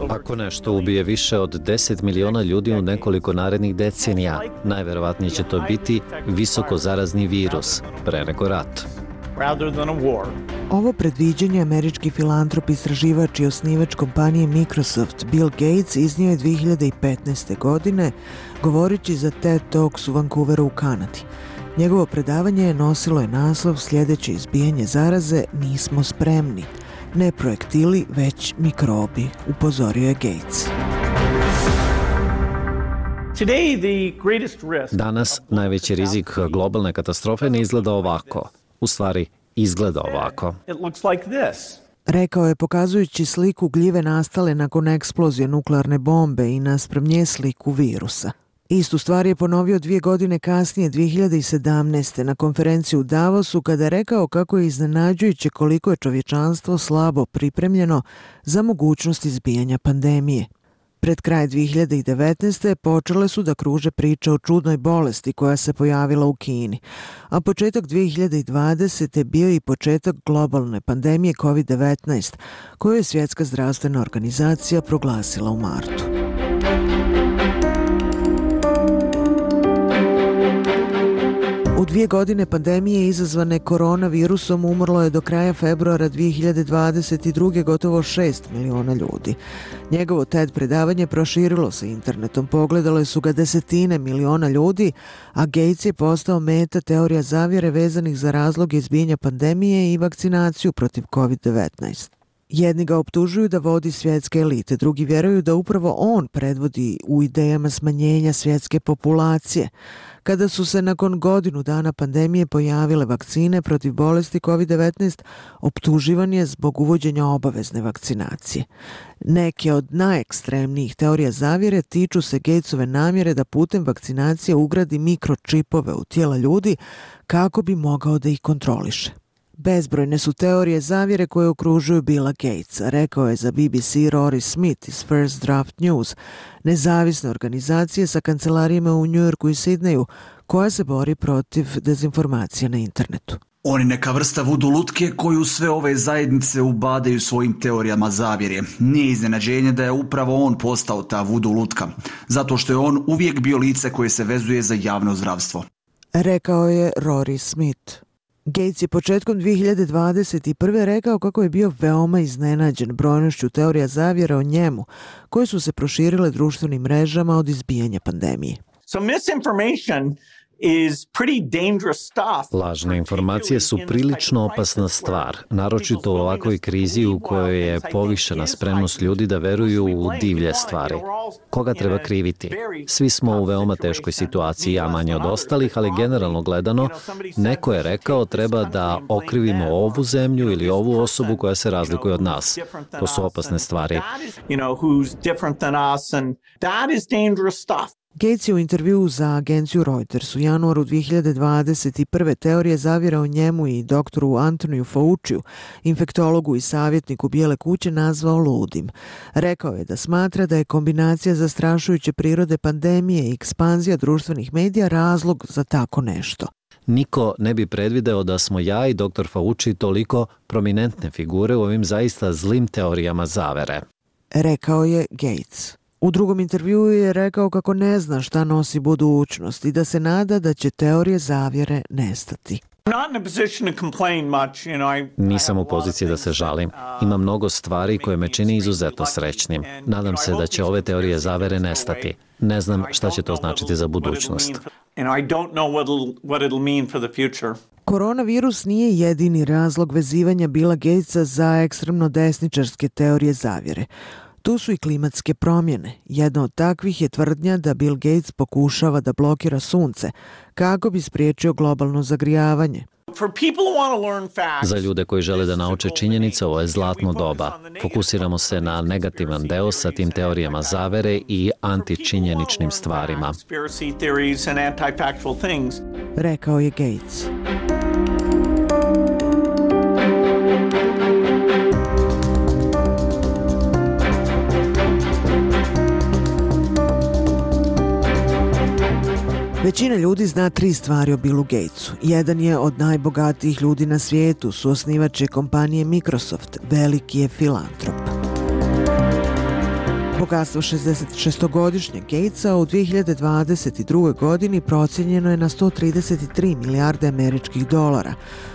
Ako nešto ubije više od deset miliona ljudi u nekoliko narednih decenija, najverovatnije će to biti visoko zarazni virus, pre nego rat. Ovo predviđanje američki filantrop, istraživač i osnivač kompanije Microsoft Bill Gates iznio je dve hiljade petnaeste. godine, govoreći za TED Talks u Vancouveru u Kanadi. Njegovo predavanje je nosilo je naslov Sljedeće izbijanje zaraze, nismo spremni. Ne projektili, već mikrobi, upozorio je Gates. Danas najveći rizik globalne katastrofe ne izgleda ovako. U stvari, izgleda ovako. Rekao je pokazujući sliku gljive nastale nakon eksplozije nuklearne bombe i naspram nje sliku virusa. Istu stvar je ponovio dvije godine kasnije, dve hiljade sedamnaeste. na konferenciji u Davosu, kada je rekao kako je iznenađujuće koliko je čovječanstvo slabo pripremljeno za mogućnost izbijanja pandemije. Pred kraj dve hiljade devetnaeste. počele su da kruže priče o čudnoj bolesti koja se pojavila u Kini, a početak dve hiljade dvadesete. bio i početak globalne pandemije kovid devetnaest, koju je Svjetska zdravstvena organizacija proglasila u martu. U dvije godine pandemije izazvane koronavirusom umrlo je do kraja februara dve hiljade dvadeset druge. gotovo šest miliona ljudi. Njegovo TED predavanje proširilo se internetom, pogledale su ga desetine miliona ljudi, a Gates je postao meta teorija zavjere vezanih za razloge izbijanja pandemije i vakcinaciju protiv kovid devetnaest. Jedni ga optužuju da vodi svjetske elite, drugi vjeruju da upravo on predvodi u idejama smanjenja svjetske populacije. Kada su se nakon godinu dana pandemije pojavile vakcine protiv bolesti kovid devetnaest, optuživan je zbog uvođenja obavezne vakcinacije. Neke od najekstremnijih teorija zavjere tiču se Gatesove namjere da putem vakcinacije ugradi mikročipove u tijela ljudi kako bi mogao da ih kontroliše. Bezbrojne su teorije zavjere koje okružuju Billa Gatesa, rekao je za B B C Rory Smith iz First Draft News, nezavisne organizacije sa kancelarijama u Njujorku i Sidneju, koja se bori protiv dezinformacija na internetu. On je neka vrsta vudu lutke koju sve ove zajednice ubadaju svojim teorijama zavjere. Nije iznenađenje da je upravo on postao ta vudu lutka, zato što je on uvijek bio lice koje se vezuje za javno zdravstvo. Rekao je Rory Smith. Gates je početkom dvije hiljade dvadeset prve rekao kako je bio veoma iznenađen brojnošću teorija zavjera o njemu, koje su se proširile društvenim mrežama od izbijanja pandemije. So misinformation is pretty dangerous stuff. Lažne informacije su prilično opasna stvar, naročito u ovakvoj krizi u kojoj je povišena spremnost ljudi da veruju u divlje stvari. Koga treba kriviti? Svi smo u veoma teškoj situaciji, ja manje od ostalih, ali generalno gledano, neko je rekao treba da okrivimo ovu zemlju ili ovu osobu koja se razlikuje od nas. To su opasne stvari. Gates je u intervjuu za agenciju Reuters u januaru dvije hiljade dvadeset prve teorije zavjera o njemu i doktoru Antoniju Fauciju, infektologu i savjetniku Bijele kuće, nazvao ludim. Rekao je da smatra da je kombinacija zastrašujuće prirode pandemije i ekspanzija društvenih medija razlog za tako nešto. Niko ne bi predvideo da smo ja i doktor Fauci toliko prominentne figure u ovim zaista zlim teorijama zavere. Rekao je Gates. U drugom intervjuu je rekao kako ne zna šta nosi budućnost i da se nada da će teorije zavjere nestati. Nisam u poziciji da se žalim. Ima mnogo stvari koje me čini izuzetno srećnim. Nadam se da će ove teorije zavere nestati. Ne znam šta će to značiti za budućnost. Koronavirus nije jedini razlog vezivanja Billa Gatesa za ekstremno desničarske teorije zavjere. Tu su i klimatske promjene. Jedna od takvih je tvrdnja da Bill Gates pokušava da blokira sunce kako bi spriječio globalno zagrijavanje. Za ljude koji žele da nauče činjenice, ovo je zlatno doba. Fokusiramo se na negativan deo sa tim teorijama zavere i antičinjeničnim stvarima. Rekao je Gates. Većina ljudi zna tri stvari o Billu Gatesu. Jedan je od najbogatijih ljudi na svijetu, suosnivač je kompanije Microsoft, veliki je filantrop. Bogatstvo šezdesetšestogodišnjeg Gatesa u dvije hiljade dvadeset druge. godini procijenjeno je na sto trideset tri milijarde američkih dolara,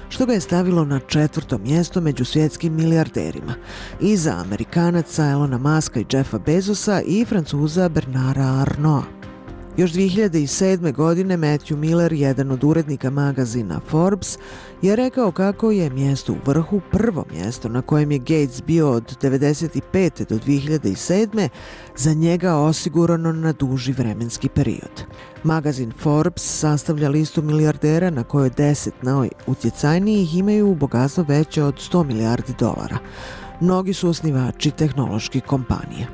što ga je stavilo na četvrto mjesto među svjetskim milijarderima, iza Amerikanaca Elona Muska i Jeffa Bezosa i Francuza Bernarda Arnaulta. Još dvije hiljade sedme. godine Matthew Miller, jedan od urednika magazina Forbes, je rekao kako je mjesto u vrhu prvo mjesto na kojem je Gates bio od devedeset pete. do dvije hiljade sedme. za njega osigurano na duži vremenski period. Magazin Forbes sastavlja listu milijardera na kojoj deset najutjecajnijih imaju bogatstvo veće od sto milijardi dolara. Mnogi su osnivači tehnoloških kompanija.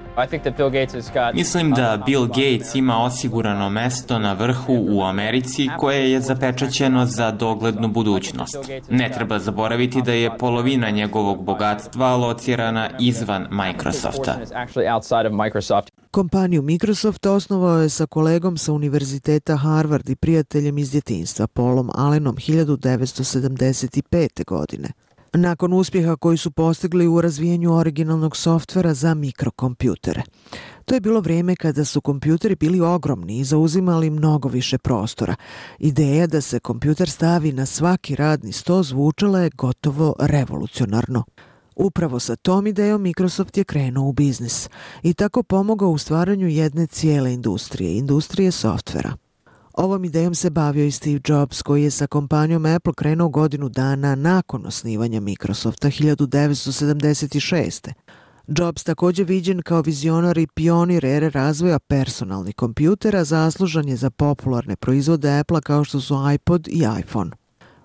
Mislim da Bill Gates ima osigurano mesto na vrhu u Americi koje je zapečaćeno za doglednu budućnost. Ne treba zaboraviti da je polovina njegovog bogatstva locirana izvan Microsofta. Kompaniju Microsoft osnovao je sa kolegom sa univerziteta Harvard i prijateljem iz djetinjstva Paulom Allenom hiljadu devetsto sedamdeset pete. godine. Nakon uspjeha koji su postigli u razvijanju originalnog softvera za mikrokompjutere. To je bilo vrijeme kada su kompjuteri bili ogromni i zauzimali mnogo više prostora. Ideja da se kompjuter stavi na svaki radni sto zvučala je gotovo revolucionarno. Upravo sa tom idejom Microsoft je krenuo u biznis i tako pomogao u stvaranju jedne cijele industrije, industrije softvera. Ovom idejom se bavio i Steve Jobs, koji je sa kompanijom Apple krenuo godinu dana nakon osnivanja Microsofta hiljadu devetsto sedamdeset šeste. Jobs također viđen kao vizionar i pionir ere razvoja personalnih kompjutera, zaslužan je za popularne proizvode Apple kao što su iPod i iPhone.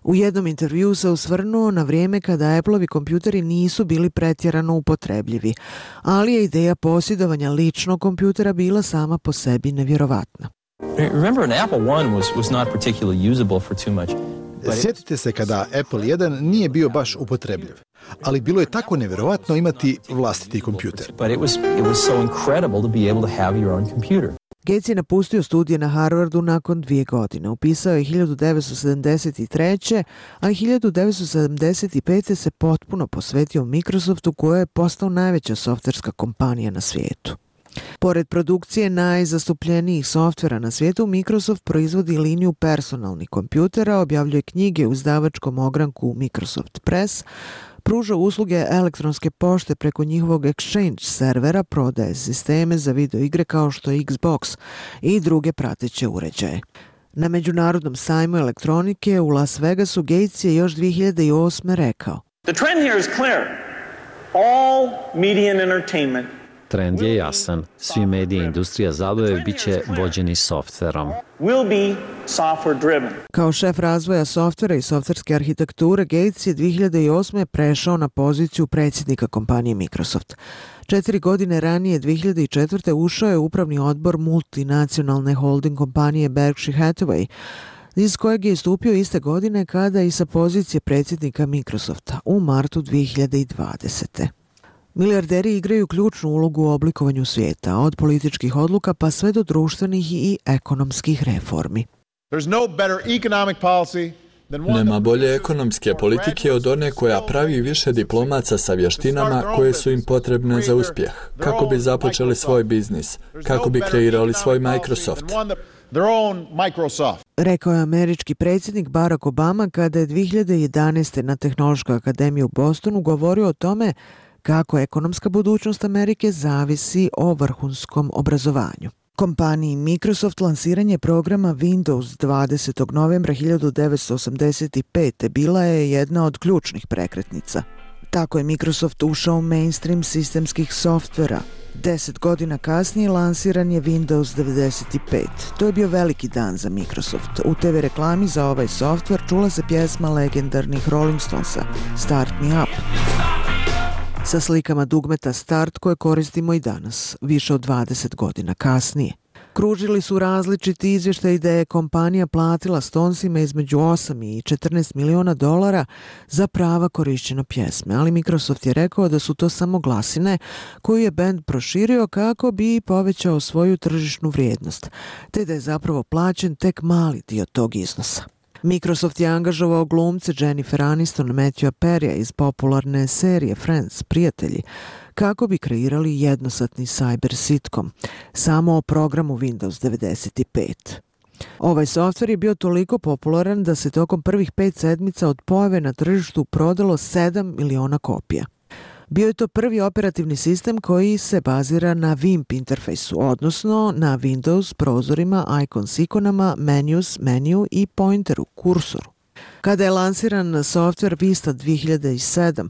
U jednom intervjuu se osvrnuo na vrijeme kada Appleovi kompjuteri nisu bili pretjerano upotrebljivi, ali je ideja posjedovanja ličnog kompjutera bila sama po sebi nevjerovatna. Remember, an Apple one was, was not particularly usable for too much. Sjetite se kada Apple jedan nije bio baš upotrebljiv, ali bilo je tako nevjerovatno imati vlastiti kompjuter. But it was, it was so incredible to be able to have your own computer. Gates je napustio studije na Harvardu nakon dvije godine. Upisao je hiljadu devetsto sedamdeset treće. a hiljadu devetsto sedamdeset pete. se potpuno posvetio Microsoftu, koja je postao najveća softverska kompanija na svijetu. Pored produkcije najzastupljenijih softvera na svijetu, Microsoft proizvodi liniju personalnih kompjutera, objavljuje knjige u izdavačkom ogranku Microsoft Press, pruža usluge elektronske pošte preko njihovog Exchange servera, prodaje sisteme za video igre kao što je Xbox i druge prateće uređaje. Na Međunarodnom sajmu elektronike u Las Vegasu Gates je još dvije hiljade osme rekao: The trend here is clear. All media and entertainment Trend je jasan. Svi mediji i industrija zabave bit će vođeni softverom. will be software driven. Kao šef razvoja softvera i softverske arhitekture, Gates je dvije hiljade osme prešao na poziciju predsjednika kompanije Microsoft. Četiri godine ranije, dvije hiljade četvrte ušao je u upravni odbor multinacionalne holding kompanije Berkshire Hathaway, iz kojeg je istupio iste godine kada i sa pozicije predsjednika Microsofta u martu dvije hiljade dvadesete. Milijarderi igraju ključnu ulogu u oblikovanju svijeta, od političkih odluka pa sve do društvenih i ekonomskih reformi. Nema bolje ekonomske politike od one koja pravi više diplomaca sa vještinama koje su im potrebne za uspjeh, kako bi započeli svoj biznis, kako bi kreirali svoj Microsoft. Rekao je američki predsjednik Barack Obama kada je dvije hiljade jedanaeste na Tehnološkoj akademiji u Bostonu govorio o tome kako ekonomska budućnost Amerike zavisi o vrhunskom obrazovanju. Kompaniji Microsoft lansiranje programa Windows dvadesetog novembra hiljadu devetsto osamdeset pete bila je jedna od ključnih prekretnica. Tako je Microsoft ušao u mainstream sistemskih softvera. Deset godina kasnije lansiran je Windows devedeset pet. To je bio veliki dan za Microsoft. U te ve reklami za ovaj softver čula se pjesma legendarnih Rolling Stonesa Start Me Up, sa slikama dugmeta Start koje koristimo i danas, više od dvadeset godina kasnije. Kružili su različiti izvještaji da je kompanija platila Stonesima između osam i četrnaest miliona dolara za prava korišćenja pjesme, ali Microsoft je rekao da su to samo glasine koju je bend proširio kako bi povećao svoju tržišnu vrijednost, te da je zapravo plaćen tek mali dio tog iznosa. Microsoft je angažovao glumce Jennifer Aniston, Matthewa Perrya iz popularne serije Friends, Prijatelji, kako bi kreirali jednosatni cyber sitcom, samo o programu Windows devedeset pet. Ovaj softver je bio toliko popularan da se tokom prvih pet sedmica od pojave na tržištu prodalo sedam miliona kopija. Bio je to prvi operativni sistem koji se bazira na V I M P interfejsu, odnosno na Windows prozorima, icons ikonama, menus, meniju i pointeru, kursoru. Kada je lansiran softver Vista dvije hiljade sedme,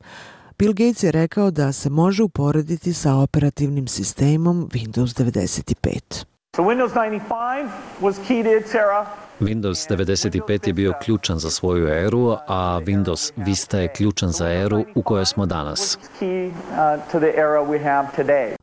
Bill Gates je rekao da se može uporediti sa operativnim sistemom Windows devedeset pet. So Windows ninety-five was key to its era. Windows devedeset pet je bio ključan za svoju eru, a Windows Vista je ključan za eru u kojoj smo danas.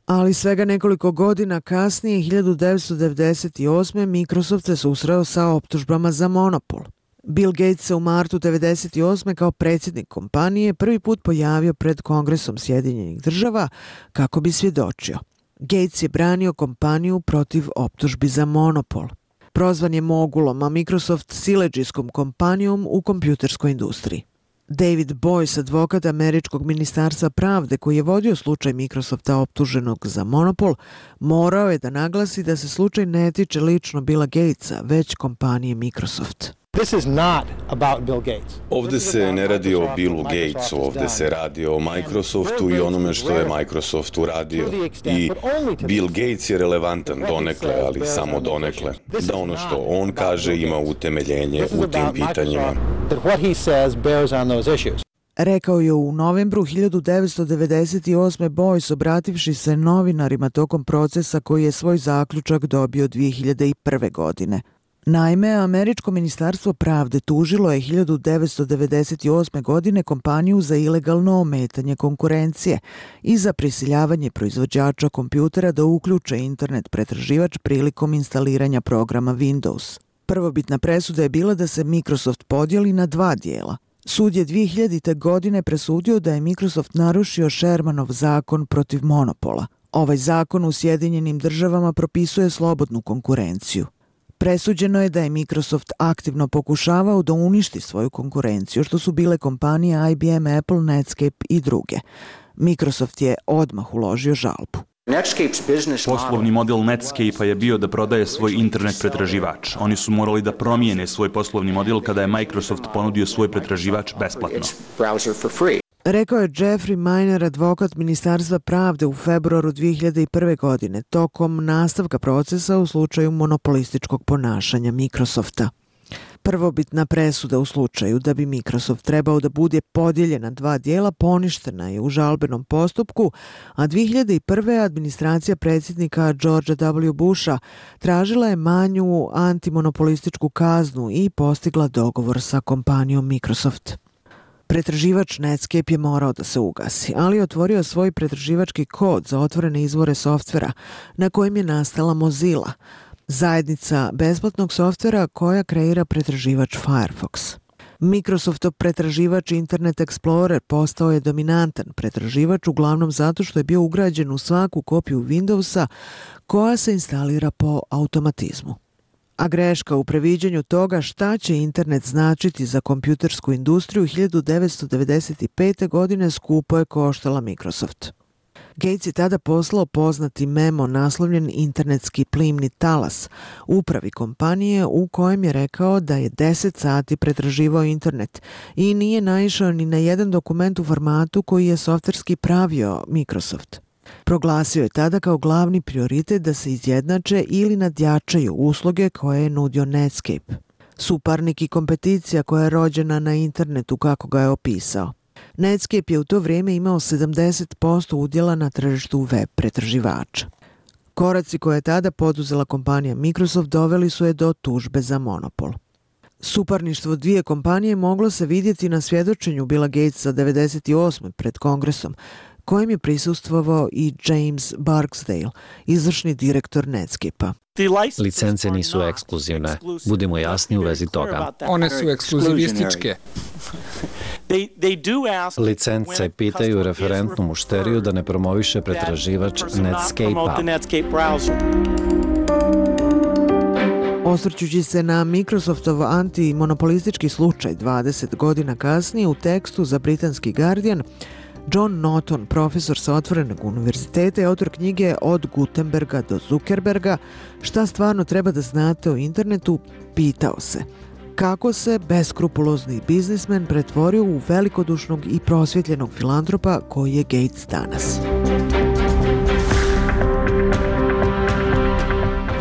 Ali svega nekoliko godina kasnije, hiljadu devetsto devedeset osme. Microsoft se susreo sa optužbama za monopol. Bill Gates se u martu devedeset osme kao predsjednik kompanije prvi put pojavio pred Kongresom Sjedinjenih država kako bi svjedočio. Gates je branio kompaniju protiv optužbi za monopol. Prozvan je mogulom, a Microsoft siledžijskom kompanijom u kompjuterskoj industriji. David Boyce, advokat Američkog ministarstva pravde koji je vodio slučaj Microsofta optuženog za monopol, morao je da naglasi da se slučaj ne tiče lično Billa Gatesa, već kompanije Microsoft. Ovdje se ne radi o Billu Gatesu, ovdje se radi o Microsoftu i onome što je Microsoft uradio. I Bill Gates je relevantan donekle, ali samo donekle. Da ono što on kaže ima utemeljenje u tim pitanjima. Rekao je u novembru hiljadu devetsto devedeset osme. Boyce, obrativši se novinarima tokom procesa koji je svoj zaključak dobio dvije hiljade prve. godine. Naime, Američko ministarstvo pravde tužilo je hiljadu devetsto devedeset osme. godine kompaniju za ilegalno ometanje konkurencije i za prisiljavanje proizvođača kompjutera da uključe internet pretraživač prilikom instaliranja programa Windows. Prvobitna presuda je bila da se Microsoft podijeli na dva dijela. Sud je dvije hiljadite. godine presudio da je Microsoft narušio Shermanov zakon protiv monopola. Ovaj zakon u Sjedinjenim državama propisuje slobodnu konkurenciju. Presuđeno je da je Microsoft aktivno pokušavao da uništi svoju konkurenciju, što su bile kompanije I B M, Apple, Netscape i druge. Microsoft je odmah uložio žalbu. Poslovni model Netscape-a je bio da prodaje svoj internet pretraživač. Oni su morali da promijene svoj poslovni model kada je Microsoft ponudio svoj pretraživač besplatno. Rekao je Jeffrey Miner, advokat Ministarstva pravde u februaru dvije hiljade prve. godine, tokom nastavka procesa u slučaju monopolističkog ponašanja Microsofta. Prvobitna presuda u slučaju da bi Microsoft trebao da bude podijeljen na dva dijela poništena je u žalbenom postupku, a dvije hiljade prve. administracija predsjednika Georgea W. Busha tražila je manju antimonopolističku kaznu i postigla dogovor sa kompanijom Microsoft. Pretraživač Netscape je morao da se ugasi, ali je otvorio svoj pretraživački kod za otvorene izvore softvera na kojem je nastala Mozilla, zajednica besplatnog softvera koja kreira pretraživač Firefox. Microsoftov pretraživač Internet Explorer postao je dominantan pretraživač uglavnom zato što je bio ugrađen u svaku kopiju Windowsa koja se instalira po automatizmu. A greška u previđanju toga šta će internet značiti za kompjutersku industriju hiljadu devetsto devedeset pete. godine skupo je koštala Microsoft. Gates je tada poslao poznati memo naslovljen Internetski plimni talas upravi kompanije u kojem je rekao da je deset sati pretraživao internet i nije naišao ni na jedan dokument u formatu koji je softverski pravio Microsoft. Proglasio je tada kao glavni prioritet da se izjednače ili nadjačaju usluge koje je nudio Netscape. Suparnik i kompeticija koja je rođena na internetu kako ga je opisao. Netscape je u to vrijeme imao sedamdeset posto udjela na tržištu web pretraživača. Koraci koje je tada poduzela kompanija Microsoft doveli su je do tužbe za monopol. Suparništvo dvije kompanije moglo se vidjeti na svjedočenju Billa Gatesa devedeset osme. pred Kongresom, kojem je prisustvovao i James Barksdale, izvršni direktor Netscape-a. Licence nisu ekskluzivne. Budimo jasni u vezi toga. One su ekskluzivističke. Licence pitaju referentnu mušteriju da ne promoviše pretraživač Netscape-a. Osvrćući se na Microsoftov antimonopolistički slučaj dvadeset godina kasnije u tekstu za britanski Guardian, John Norton, profesor sa Otvorenog univerziteta i autor knjige Od Gutenberga do Zuckerberga, šta stvarno treba da znate o internetu, pitao se kako se beskrupulozni biznismen pretvorio u velikodušnog i prosvjetljenog filantropa koji je Gates danas.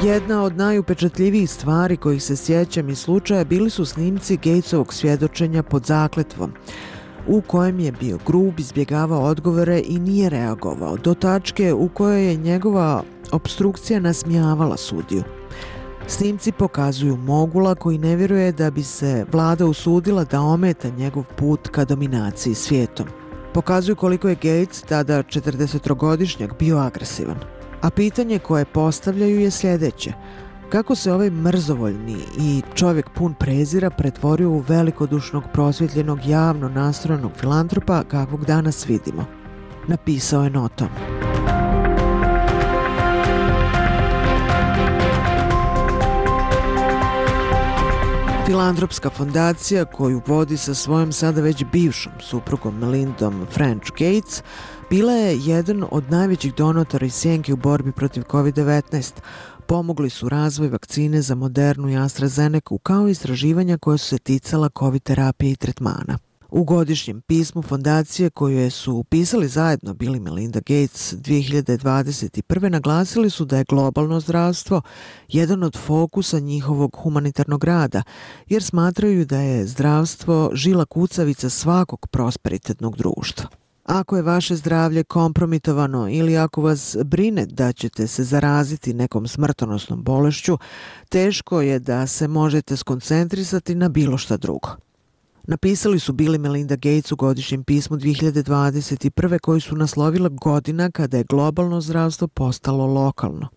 Jedna od najupečatljivijih stvari kojih se sjećam iz slučaja bili su snimci Gatesovog svjedočenja pod zakletvom, u kojem je bio grub, izbjegavao odgovore i nije reagovao, do tačke u kojoj je njegova opstrukcija nasmijavala sudiju. Snimci pokazuju mogula koji ne vjeruje da bi se vlada usudila da ometa njegov put ka dominaciji svijetom. Pokazuju koliko je Gates, tada četrdesetogodišnjak, bio agresivan. A pitanje koje postavljaju je sljedeće: kako se ovaj mrzovoljni i čovjek pun prezira pretvorio u velikodušnog, prosvjetljenog, javno nastrojenog filantropa kakvog danas vidimo? Napisao je Norton. Filantropska fondacija koju vodi sa svojom sada već bivšom suprugom Melindom French Gates bila je jedan od najvećih donatora iz sjenke u borbi protiv kovid devetnaest. Pomogli su razvoj vakcine za Modernu i AstraZeneca kao i istraživanja koje su se ticala COVID terapije i tretmana. U godišnjem pismu fondacije koje su upisali zajedno Bill i Melinda Gates dvije hiljade dvadeset prve. naglasili su da je globalno zdravstvo jedan od fokusa njihovog humanitarnog rada, jer smatraju da je zdravstvo žila kucavica svakog prosperitetnog društva. Ako je vaše zdravlje kompromitovano ili ako vas brine da ćete se zaraziti nekom smrtonosnom bolešću, teško je da se možete skoncentrisati na bilo šta drugo. Napisali su Bill i Melinda Gates u godišnjem pismu dvije hiljade dvadeset prve. koji su naslovila godina kada je globalno zdravstvo postalo lokalno.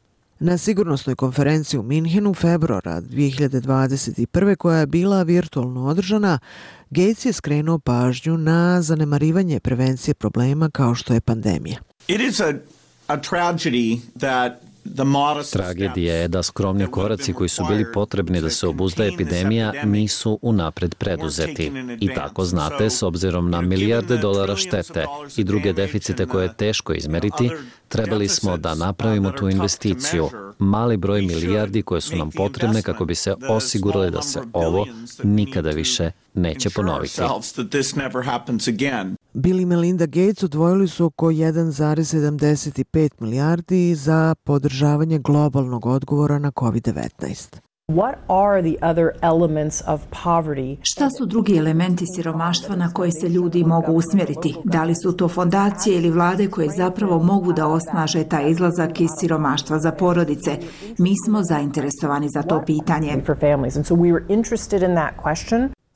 Na sigurnosnoj konferenciji u Minhenu februara dvije hiljade dvadeset prve. koja je bila virtualno održana, Gates je skrenuo pažnju na zanemarivanje prevencije problema kao što je pandemija. It is a, a tragedy that Tragedija je da skromni koraci koji su bili potrebni da se obuzda epidemija nisu unapred preduzeti. I tako znate, s obzirom na milijarde dolara štete i druge deficite koje je teško izmeriti, Trebali smo da napravimo tu investiciju, mali broj milijardi koje su nam potrebne kako bi se osigurali da se ovo nikada više neće ponoviti. Bill i Melinda Gates odvojili su oko jedan zarez sedamdeset pet milijardi za podržavanje globalnog odgovora na kovid devetnaest. What are the other elements of poverty? Šta su drugi elementi siromaštva na koje se ljudi mogu usmjeriti? Da li su to fondacije ili vlade koje zapravo mogu da osnaže taj izlazak iz siromaštva za porodice? Mi smo zainteresovani za to pitanje.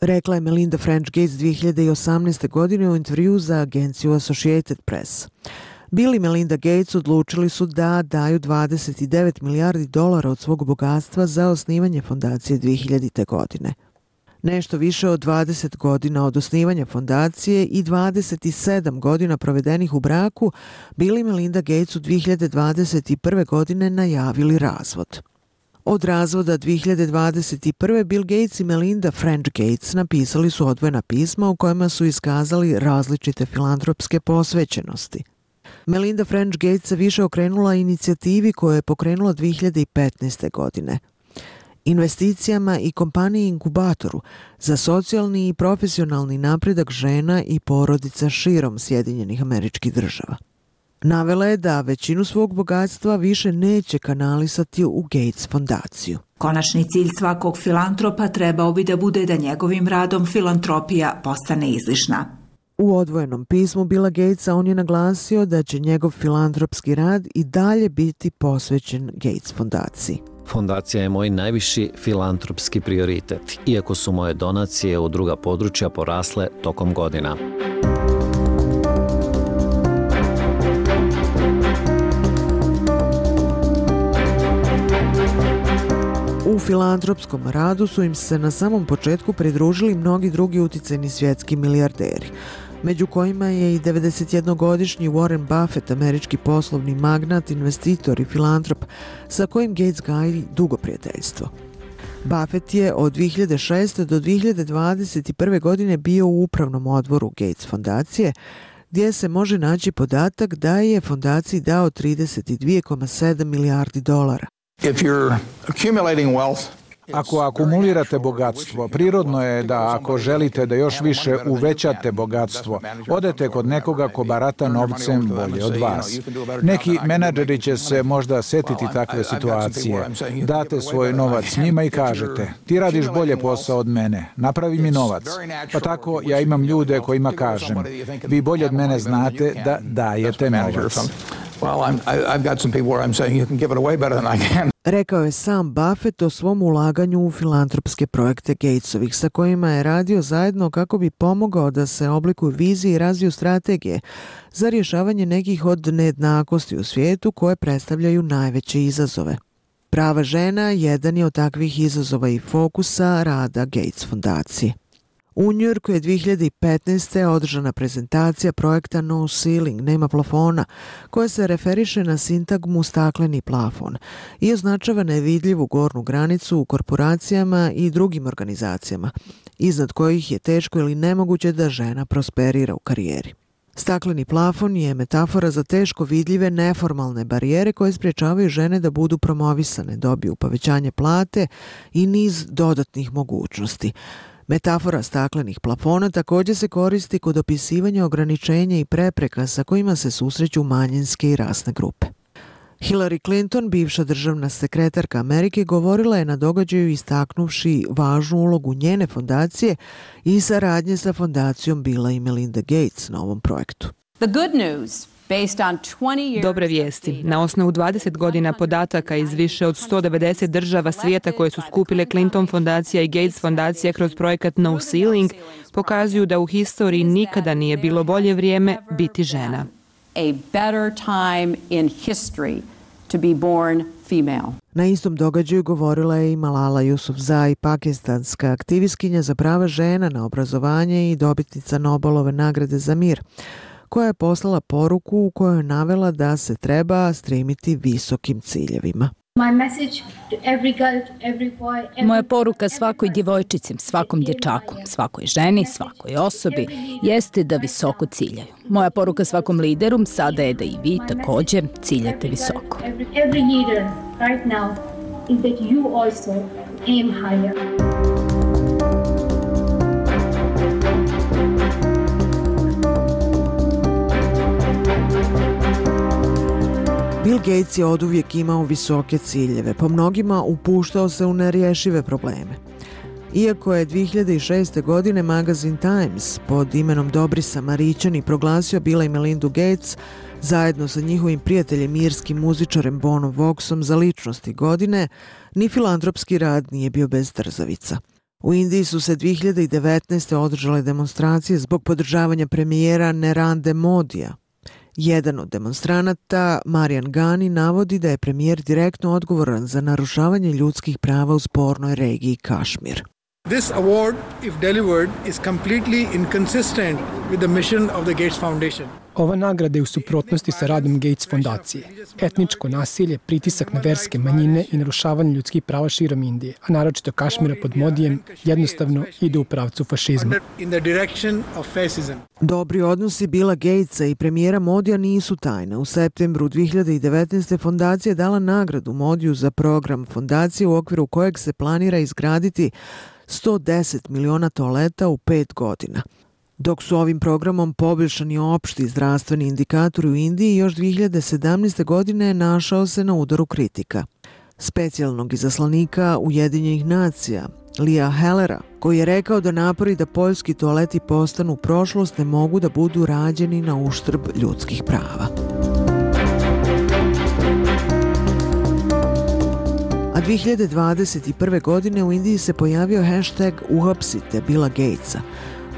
Rekla je Melinda French Gates dvije hiljade osamnaeste. godine u intervju za agenciju Associated Press. Bill i Melinda Gates odlučili su da daju dvadeset devet milijardi dolara od svog bogatstva za osnivanje fondacije dvije hiljadite. godine. Nešto više od dvadeset godina od osnivanja fondacije i dvadeset sedam godina provedenih u braku, Bill i Melinda Gates u dvije hiljade dvadeset prve. godine najavili razvod. Od razvoda dvije hiljade dvadeset prve. Bill Gates i Melinda French Gates napisali su odvojena pisma u kojima su iskazali različite filantropske posvećenosti. Melinda French Gates se više okrenula inicijativi koju je pokrenula dvije hiljade petnaeste. godine. Investicijama i kompaniji inkubatoru za socijalni i profesionalni napredak žena i porodica širom Sjedinjenih Američkih Država. Navela je da većinu svog bogatstva više neće kanalisati u Gates fondaciju. Konačni cilj svakog filantropa trebao bi da bude da njegovim radom filantropija postane izlišna. U odvojenom pismu Billa Gatesa on je naglasio da će njegov filantropski rad i dalje biti posvećen Gates fondaciji. Fondacija je moj najviši filantropski prioritet, iako su moje donacije u druga područja porasle tokom godina. U filantropskom radu su im se na samom početku pridružili mnogi drugi uticajni svjetski milijarderi, među kojima je i devedesetjednogodišnji Warren Buffett, američki poslovni magnat, investitor i filantrop, sa kojim Gates gaji dugo prijateljstvo. Buffett je od dvije hiljade šeste. do dvije hiljade dvadeset prve. godine bio u upravnom odboru Gates fondacije, gdje se može naći podatak da je fondaciji dao trideset dvije zarez sedam milijardi dolara. If you're accumulating wealth, Ako akumulirate bogatstvo, prirodno je da ako želite da još više uvećate bogatstvo, odete kod nekoga ko barata novcem bolje od vas. Neki menadžeri će se možda setiti takve situacije. Date svoj novac njima i kažete, ti radiš bolje posao od mene, napravi mi novac. Pa tako ja imam ljude kojima kažem, vi bolje od mene znate da dajete novac. Well, I'm, I've got some people where I'm saying you can give it away better than I can. Rekao je sam Buffett o svom ulaganju u filantropske projekte Gatesovih, sa kojima je radio zajedno kako bi pomogao da se oblikuju vizije i razviju strategije za rješavanje nekih od nejednakosti u svijetu koje predstavljaju najveće izazove. Prava žena jedan je od takvih izazova i fokusa rada Gates fondacije. U Njujorku je dvije hiljade petnaeste. održana prezentacija projekta No Ceiling, nema plafona, koja se referiše na sintagmu stakleni plafon i označava nevidljivu gornju granicu u korporacijama i drugim organizacijama, iznad kojih je teško ili nemoguće da žena prosperira u karijeri. Stakleni plafon je metafora za teško vidljive neformalne barijere koje sprječavaju žene da budu promovisane, dobiju povećanje plate i niz dodatnih mogućnosti. Metafora staklenih plafona također se koristi kod opisivanja ograničenja i prepreka sa kojima se susreću manjinske i rasne grupe. Hillary Clinton, bivša državna sekretarka Amerike, govorila je na događaju istaknuvši važnu ulogu njene fondacije i saradnje sa fondacijom Billa i Melinda Gates na ovom projektu. The good news. Dobre vijesti. Na osnovu dvadeset godina podataka iz više od sto devedeset država svijeta koje su skupile Clinton fondacija i Gates fondacija kroz projekat No Ceiling pokazuju da u historiji nikada nije bilo bolje vrijeme biti žena. A better time in history to be born female. Na istom događaju govorila je i Malala Yousafzai, pakistanska aktivistkinja za prava žena, na obrazovanje i dobitnica Nobelove nagrade za mir, koja je poslala poruku u kojoj je navela da se treba stremiti visokim ciljevima. Moja poruka svakoj djevojčici, svakom dječaku, svakoj ženi, svakoj osobi jeste da visoko ciljaju. Moja poruka svakom lideru sada je da i vi također ciljate visoko. Bill Gates je oduvijek imao visoke ciljeve, po mnogima upuštao se u nerješive probleme. Iako je dvije hiljade šeste. godine magazin Times pod imenom Dobri Samarićani proglasio Billa i Melindu Gates zajedno sa njihovim prijateljem irskim muzičarem Bonom Voxom za ličnosti godine, ni filantropski rad nije bio bez trzavica. U Indiji su se dvije hiljade devetnaeste. održale demonstracije zbog podržavanja premijera Narendra Modija. Jedan od demonstranata, Marian Gani, navodi da je premijer direktno odgovoran za narušavanje ljudskih prava u spornoj regiji Kašmir. This award, if delivered, is completely inconsistent with the mission of the Gates Foundation. Ova nagrada je u suprotnosti sa radom Gates fondacije. Etničko nasilje, pritisak na verske manjine i narušavanje ljudskih prava širom Indije, a naročito Kašmira pod Modijem, jednostavno ide u pravcu fašizma. Dobri odnosi Billa Gatesa i premijera Modija nisu tajne. U septembru dvije hiljade devetnaeste. fondacija je dala nagradu Modiju za program fondacije u okviru kojeg se planira izgraditi sto deset miliona toaleta u pet godina. Dok su ovim programom poboljšani opšti zdravstveni indikatori u Indiji, još dvije hiljade sedamnaeste. godine našao se na udaru kritika. Specijalnog izaslanika Ujedinjenih nacija, Lia Hellera, koji je rekao da napori da poljski toaleti postanu prošlost ne mogu da budu rađeni na uštrb ljudskih prava. A dvije hiljade dvadeset prve. godine u Indiji se pojavio hashtag uhapsite Billa Gatesa,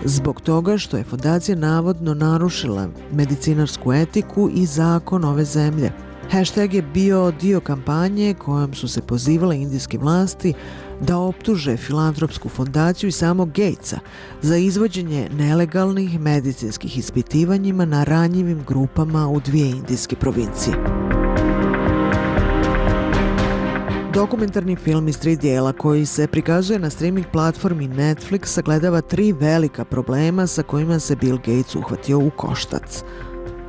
zbog toga što je fondacija navodno narušila medicinarsku etiku i zakon ove zemlje. Hashtag je bio dio kampanje kojom su se pozivale indijske vlasti da optuže filantropsku fondaciju i samog Gatesa za izvođenje nelegalnih medicinskih ispitivanjima na ranjivim grupama u dvije indijske provincije. Dokumentarni film iz tri dijela koji se prikazuje na streaming platformi Netflix sagledava tri velika problema sa kojima se Bill Gates uhvatio u koštac.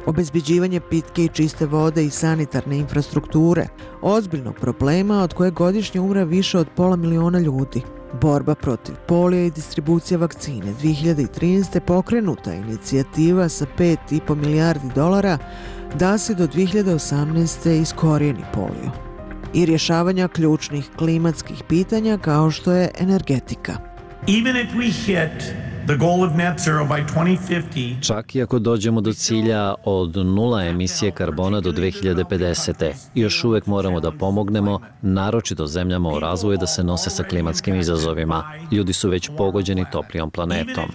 Obezbeđivanje pitke i čiste vode i sanitarne infrastrukture, ozbiljnog problema od koje godišnje umre više od pola miliona ljudi. Borba protiv polija i distribucija vakcine. dvije hiljade trinaeste. pokrenuta inicijativa sa pet i po milijardi dolara da se do dvije hiljade osamnaeste. iskorijeni polio. I rješavanja ključnih klimatskih pitanja kao što je energetika. Čak i ako dođemo do cilja od nula emisije karbona do dvije hiljade pedesete. još uvijek moramo da pomognemo, naročito zemljama u razvoju, da se nose sa klimatskim izazovima. Ljudi su već pogođeni toplijom planetom.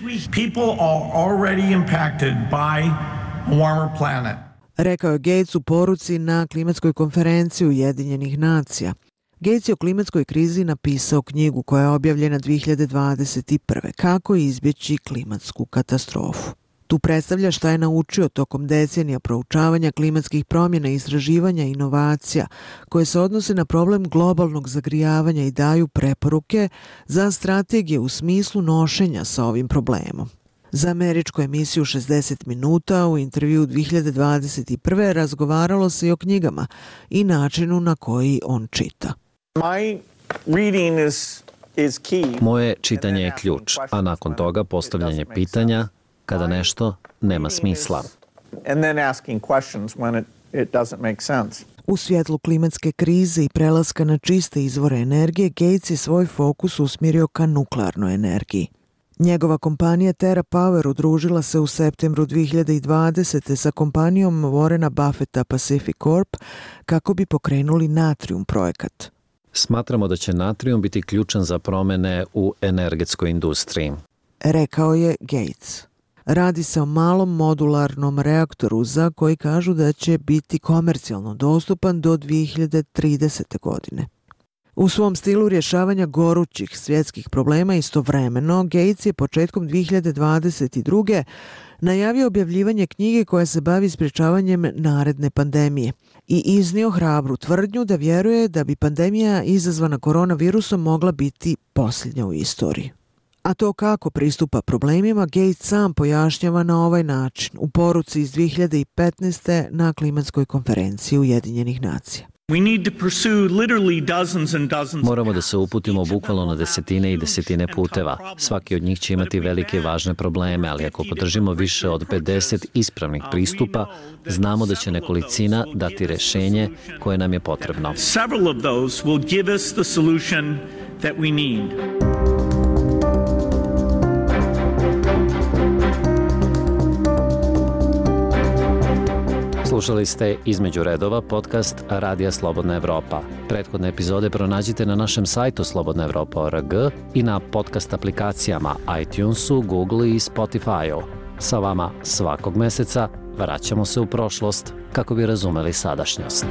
Rekao je Gates u poruci na klimatskoj konferenciji Ujedinjenih nacija. Gates je o klimatskoj krizi napisao knjigu koja je objavljena dvije hiljade dvadeset prve. Kako izbjeći klimatsku katastrofu. Tu predstavlja šta je naučio tokom decenija proučavanja klimatskih promjena, istraživanja i inovacija koje se odnose na problem globalnog zagrijavanja i daju preporuke za strategije u smislu nošenja sa ovim problemom. Za američku emisiju šezdeset minuta u intervju dvije hiljade dvadeset prve. razgovaralo se i o knjigama i načinu na koji on čita. Moje čitanje je ključ, a nakon toga postavljanje pitanja kada nešto nema smisla. U svjetlu klimatske krize i prelaska na čiste izvore energije, Gates je svoj fokus usmjerio ka nuklearnoj energiji. Njegova kompanija TerraPower udružila se u septembru dvije hiljade dvadesete. sa kompanijom Warrena Buffetta Pacific Corp kako bi pokrenuli Natrium projekat. Smatramo da će natrijum biti ključan za promjene u energetskoj industriji, rekao je Gates. Radi se o malom modularnom reaktoru za koji kažu da će biti komercijalno dostupan do dvije hiljade tridesete. godine. U svom stilu rješavanja gorućih svjetskih problema istovremeno, Gates je početkom dvije hiljade dvadeset druge najavio objavljivanje knjige koja se bavi sprječavanjem naredne pandemije i iznio hrabru tvrdnju da vjeruje da bi pandemija izazvana koronavirusom mogla biti posljednja u istoriji. A to kako pristupa problemima, Gates sam pojašnjava na ovaj način u poruci iz dvije hiljade petnaeste. na klimatskoj konferenciji Ujedinjenih nacija. Moramo da se uputimo bukvalno na desetine i desetine puteva. Svaki od njih će imati velike i važne probleme, ali ako podržimo više od pedeset ispravnih pristupa, znamo da će nekolicina dati rešenje koje nam je potrebno. Slušali ste Između redova, podcast Radija Slobodna Evropa. Prethodne epizode pronađite na našem sajtu slobodna evropa tačka org i na podcast aplikacijama iTunesu, Google i Spotify-u. Sa vama svakog meseca vraćamo se u prošlost kako bi razumeli sadašnjost.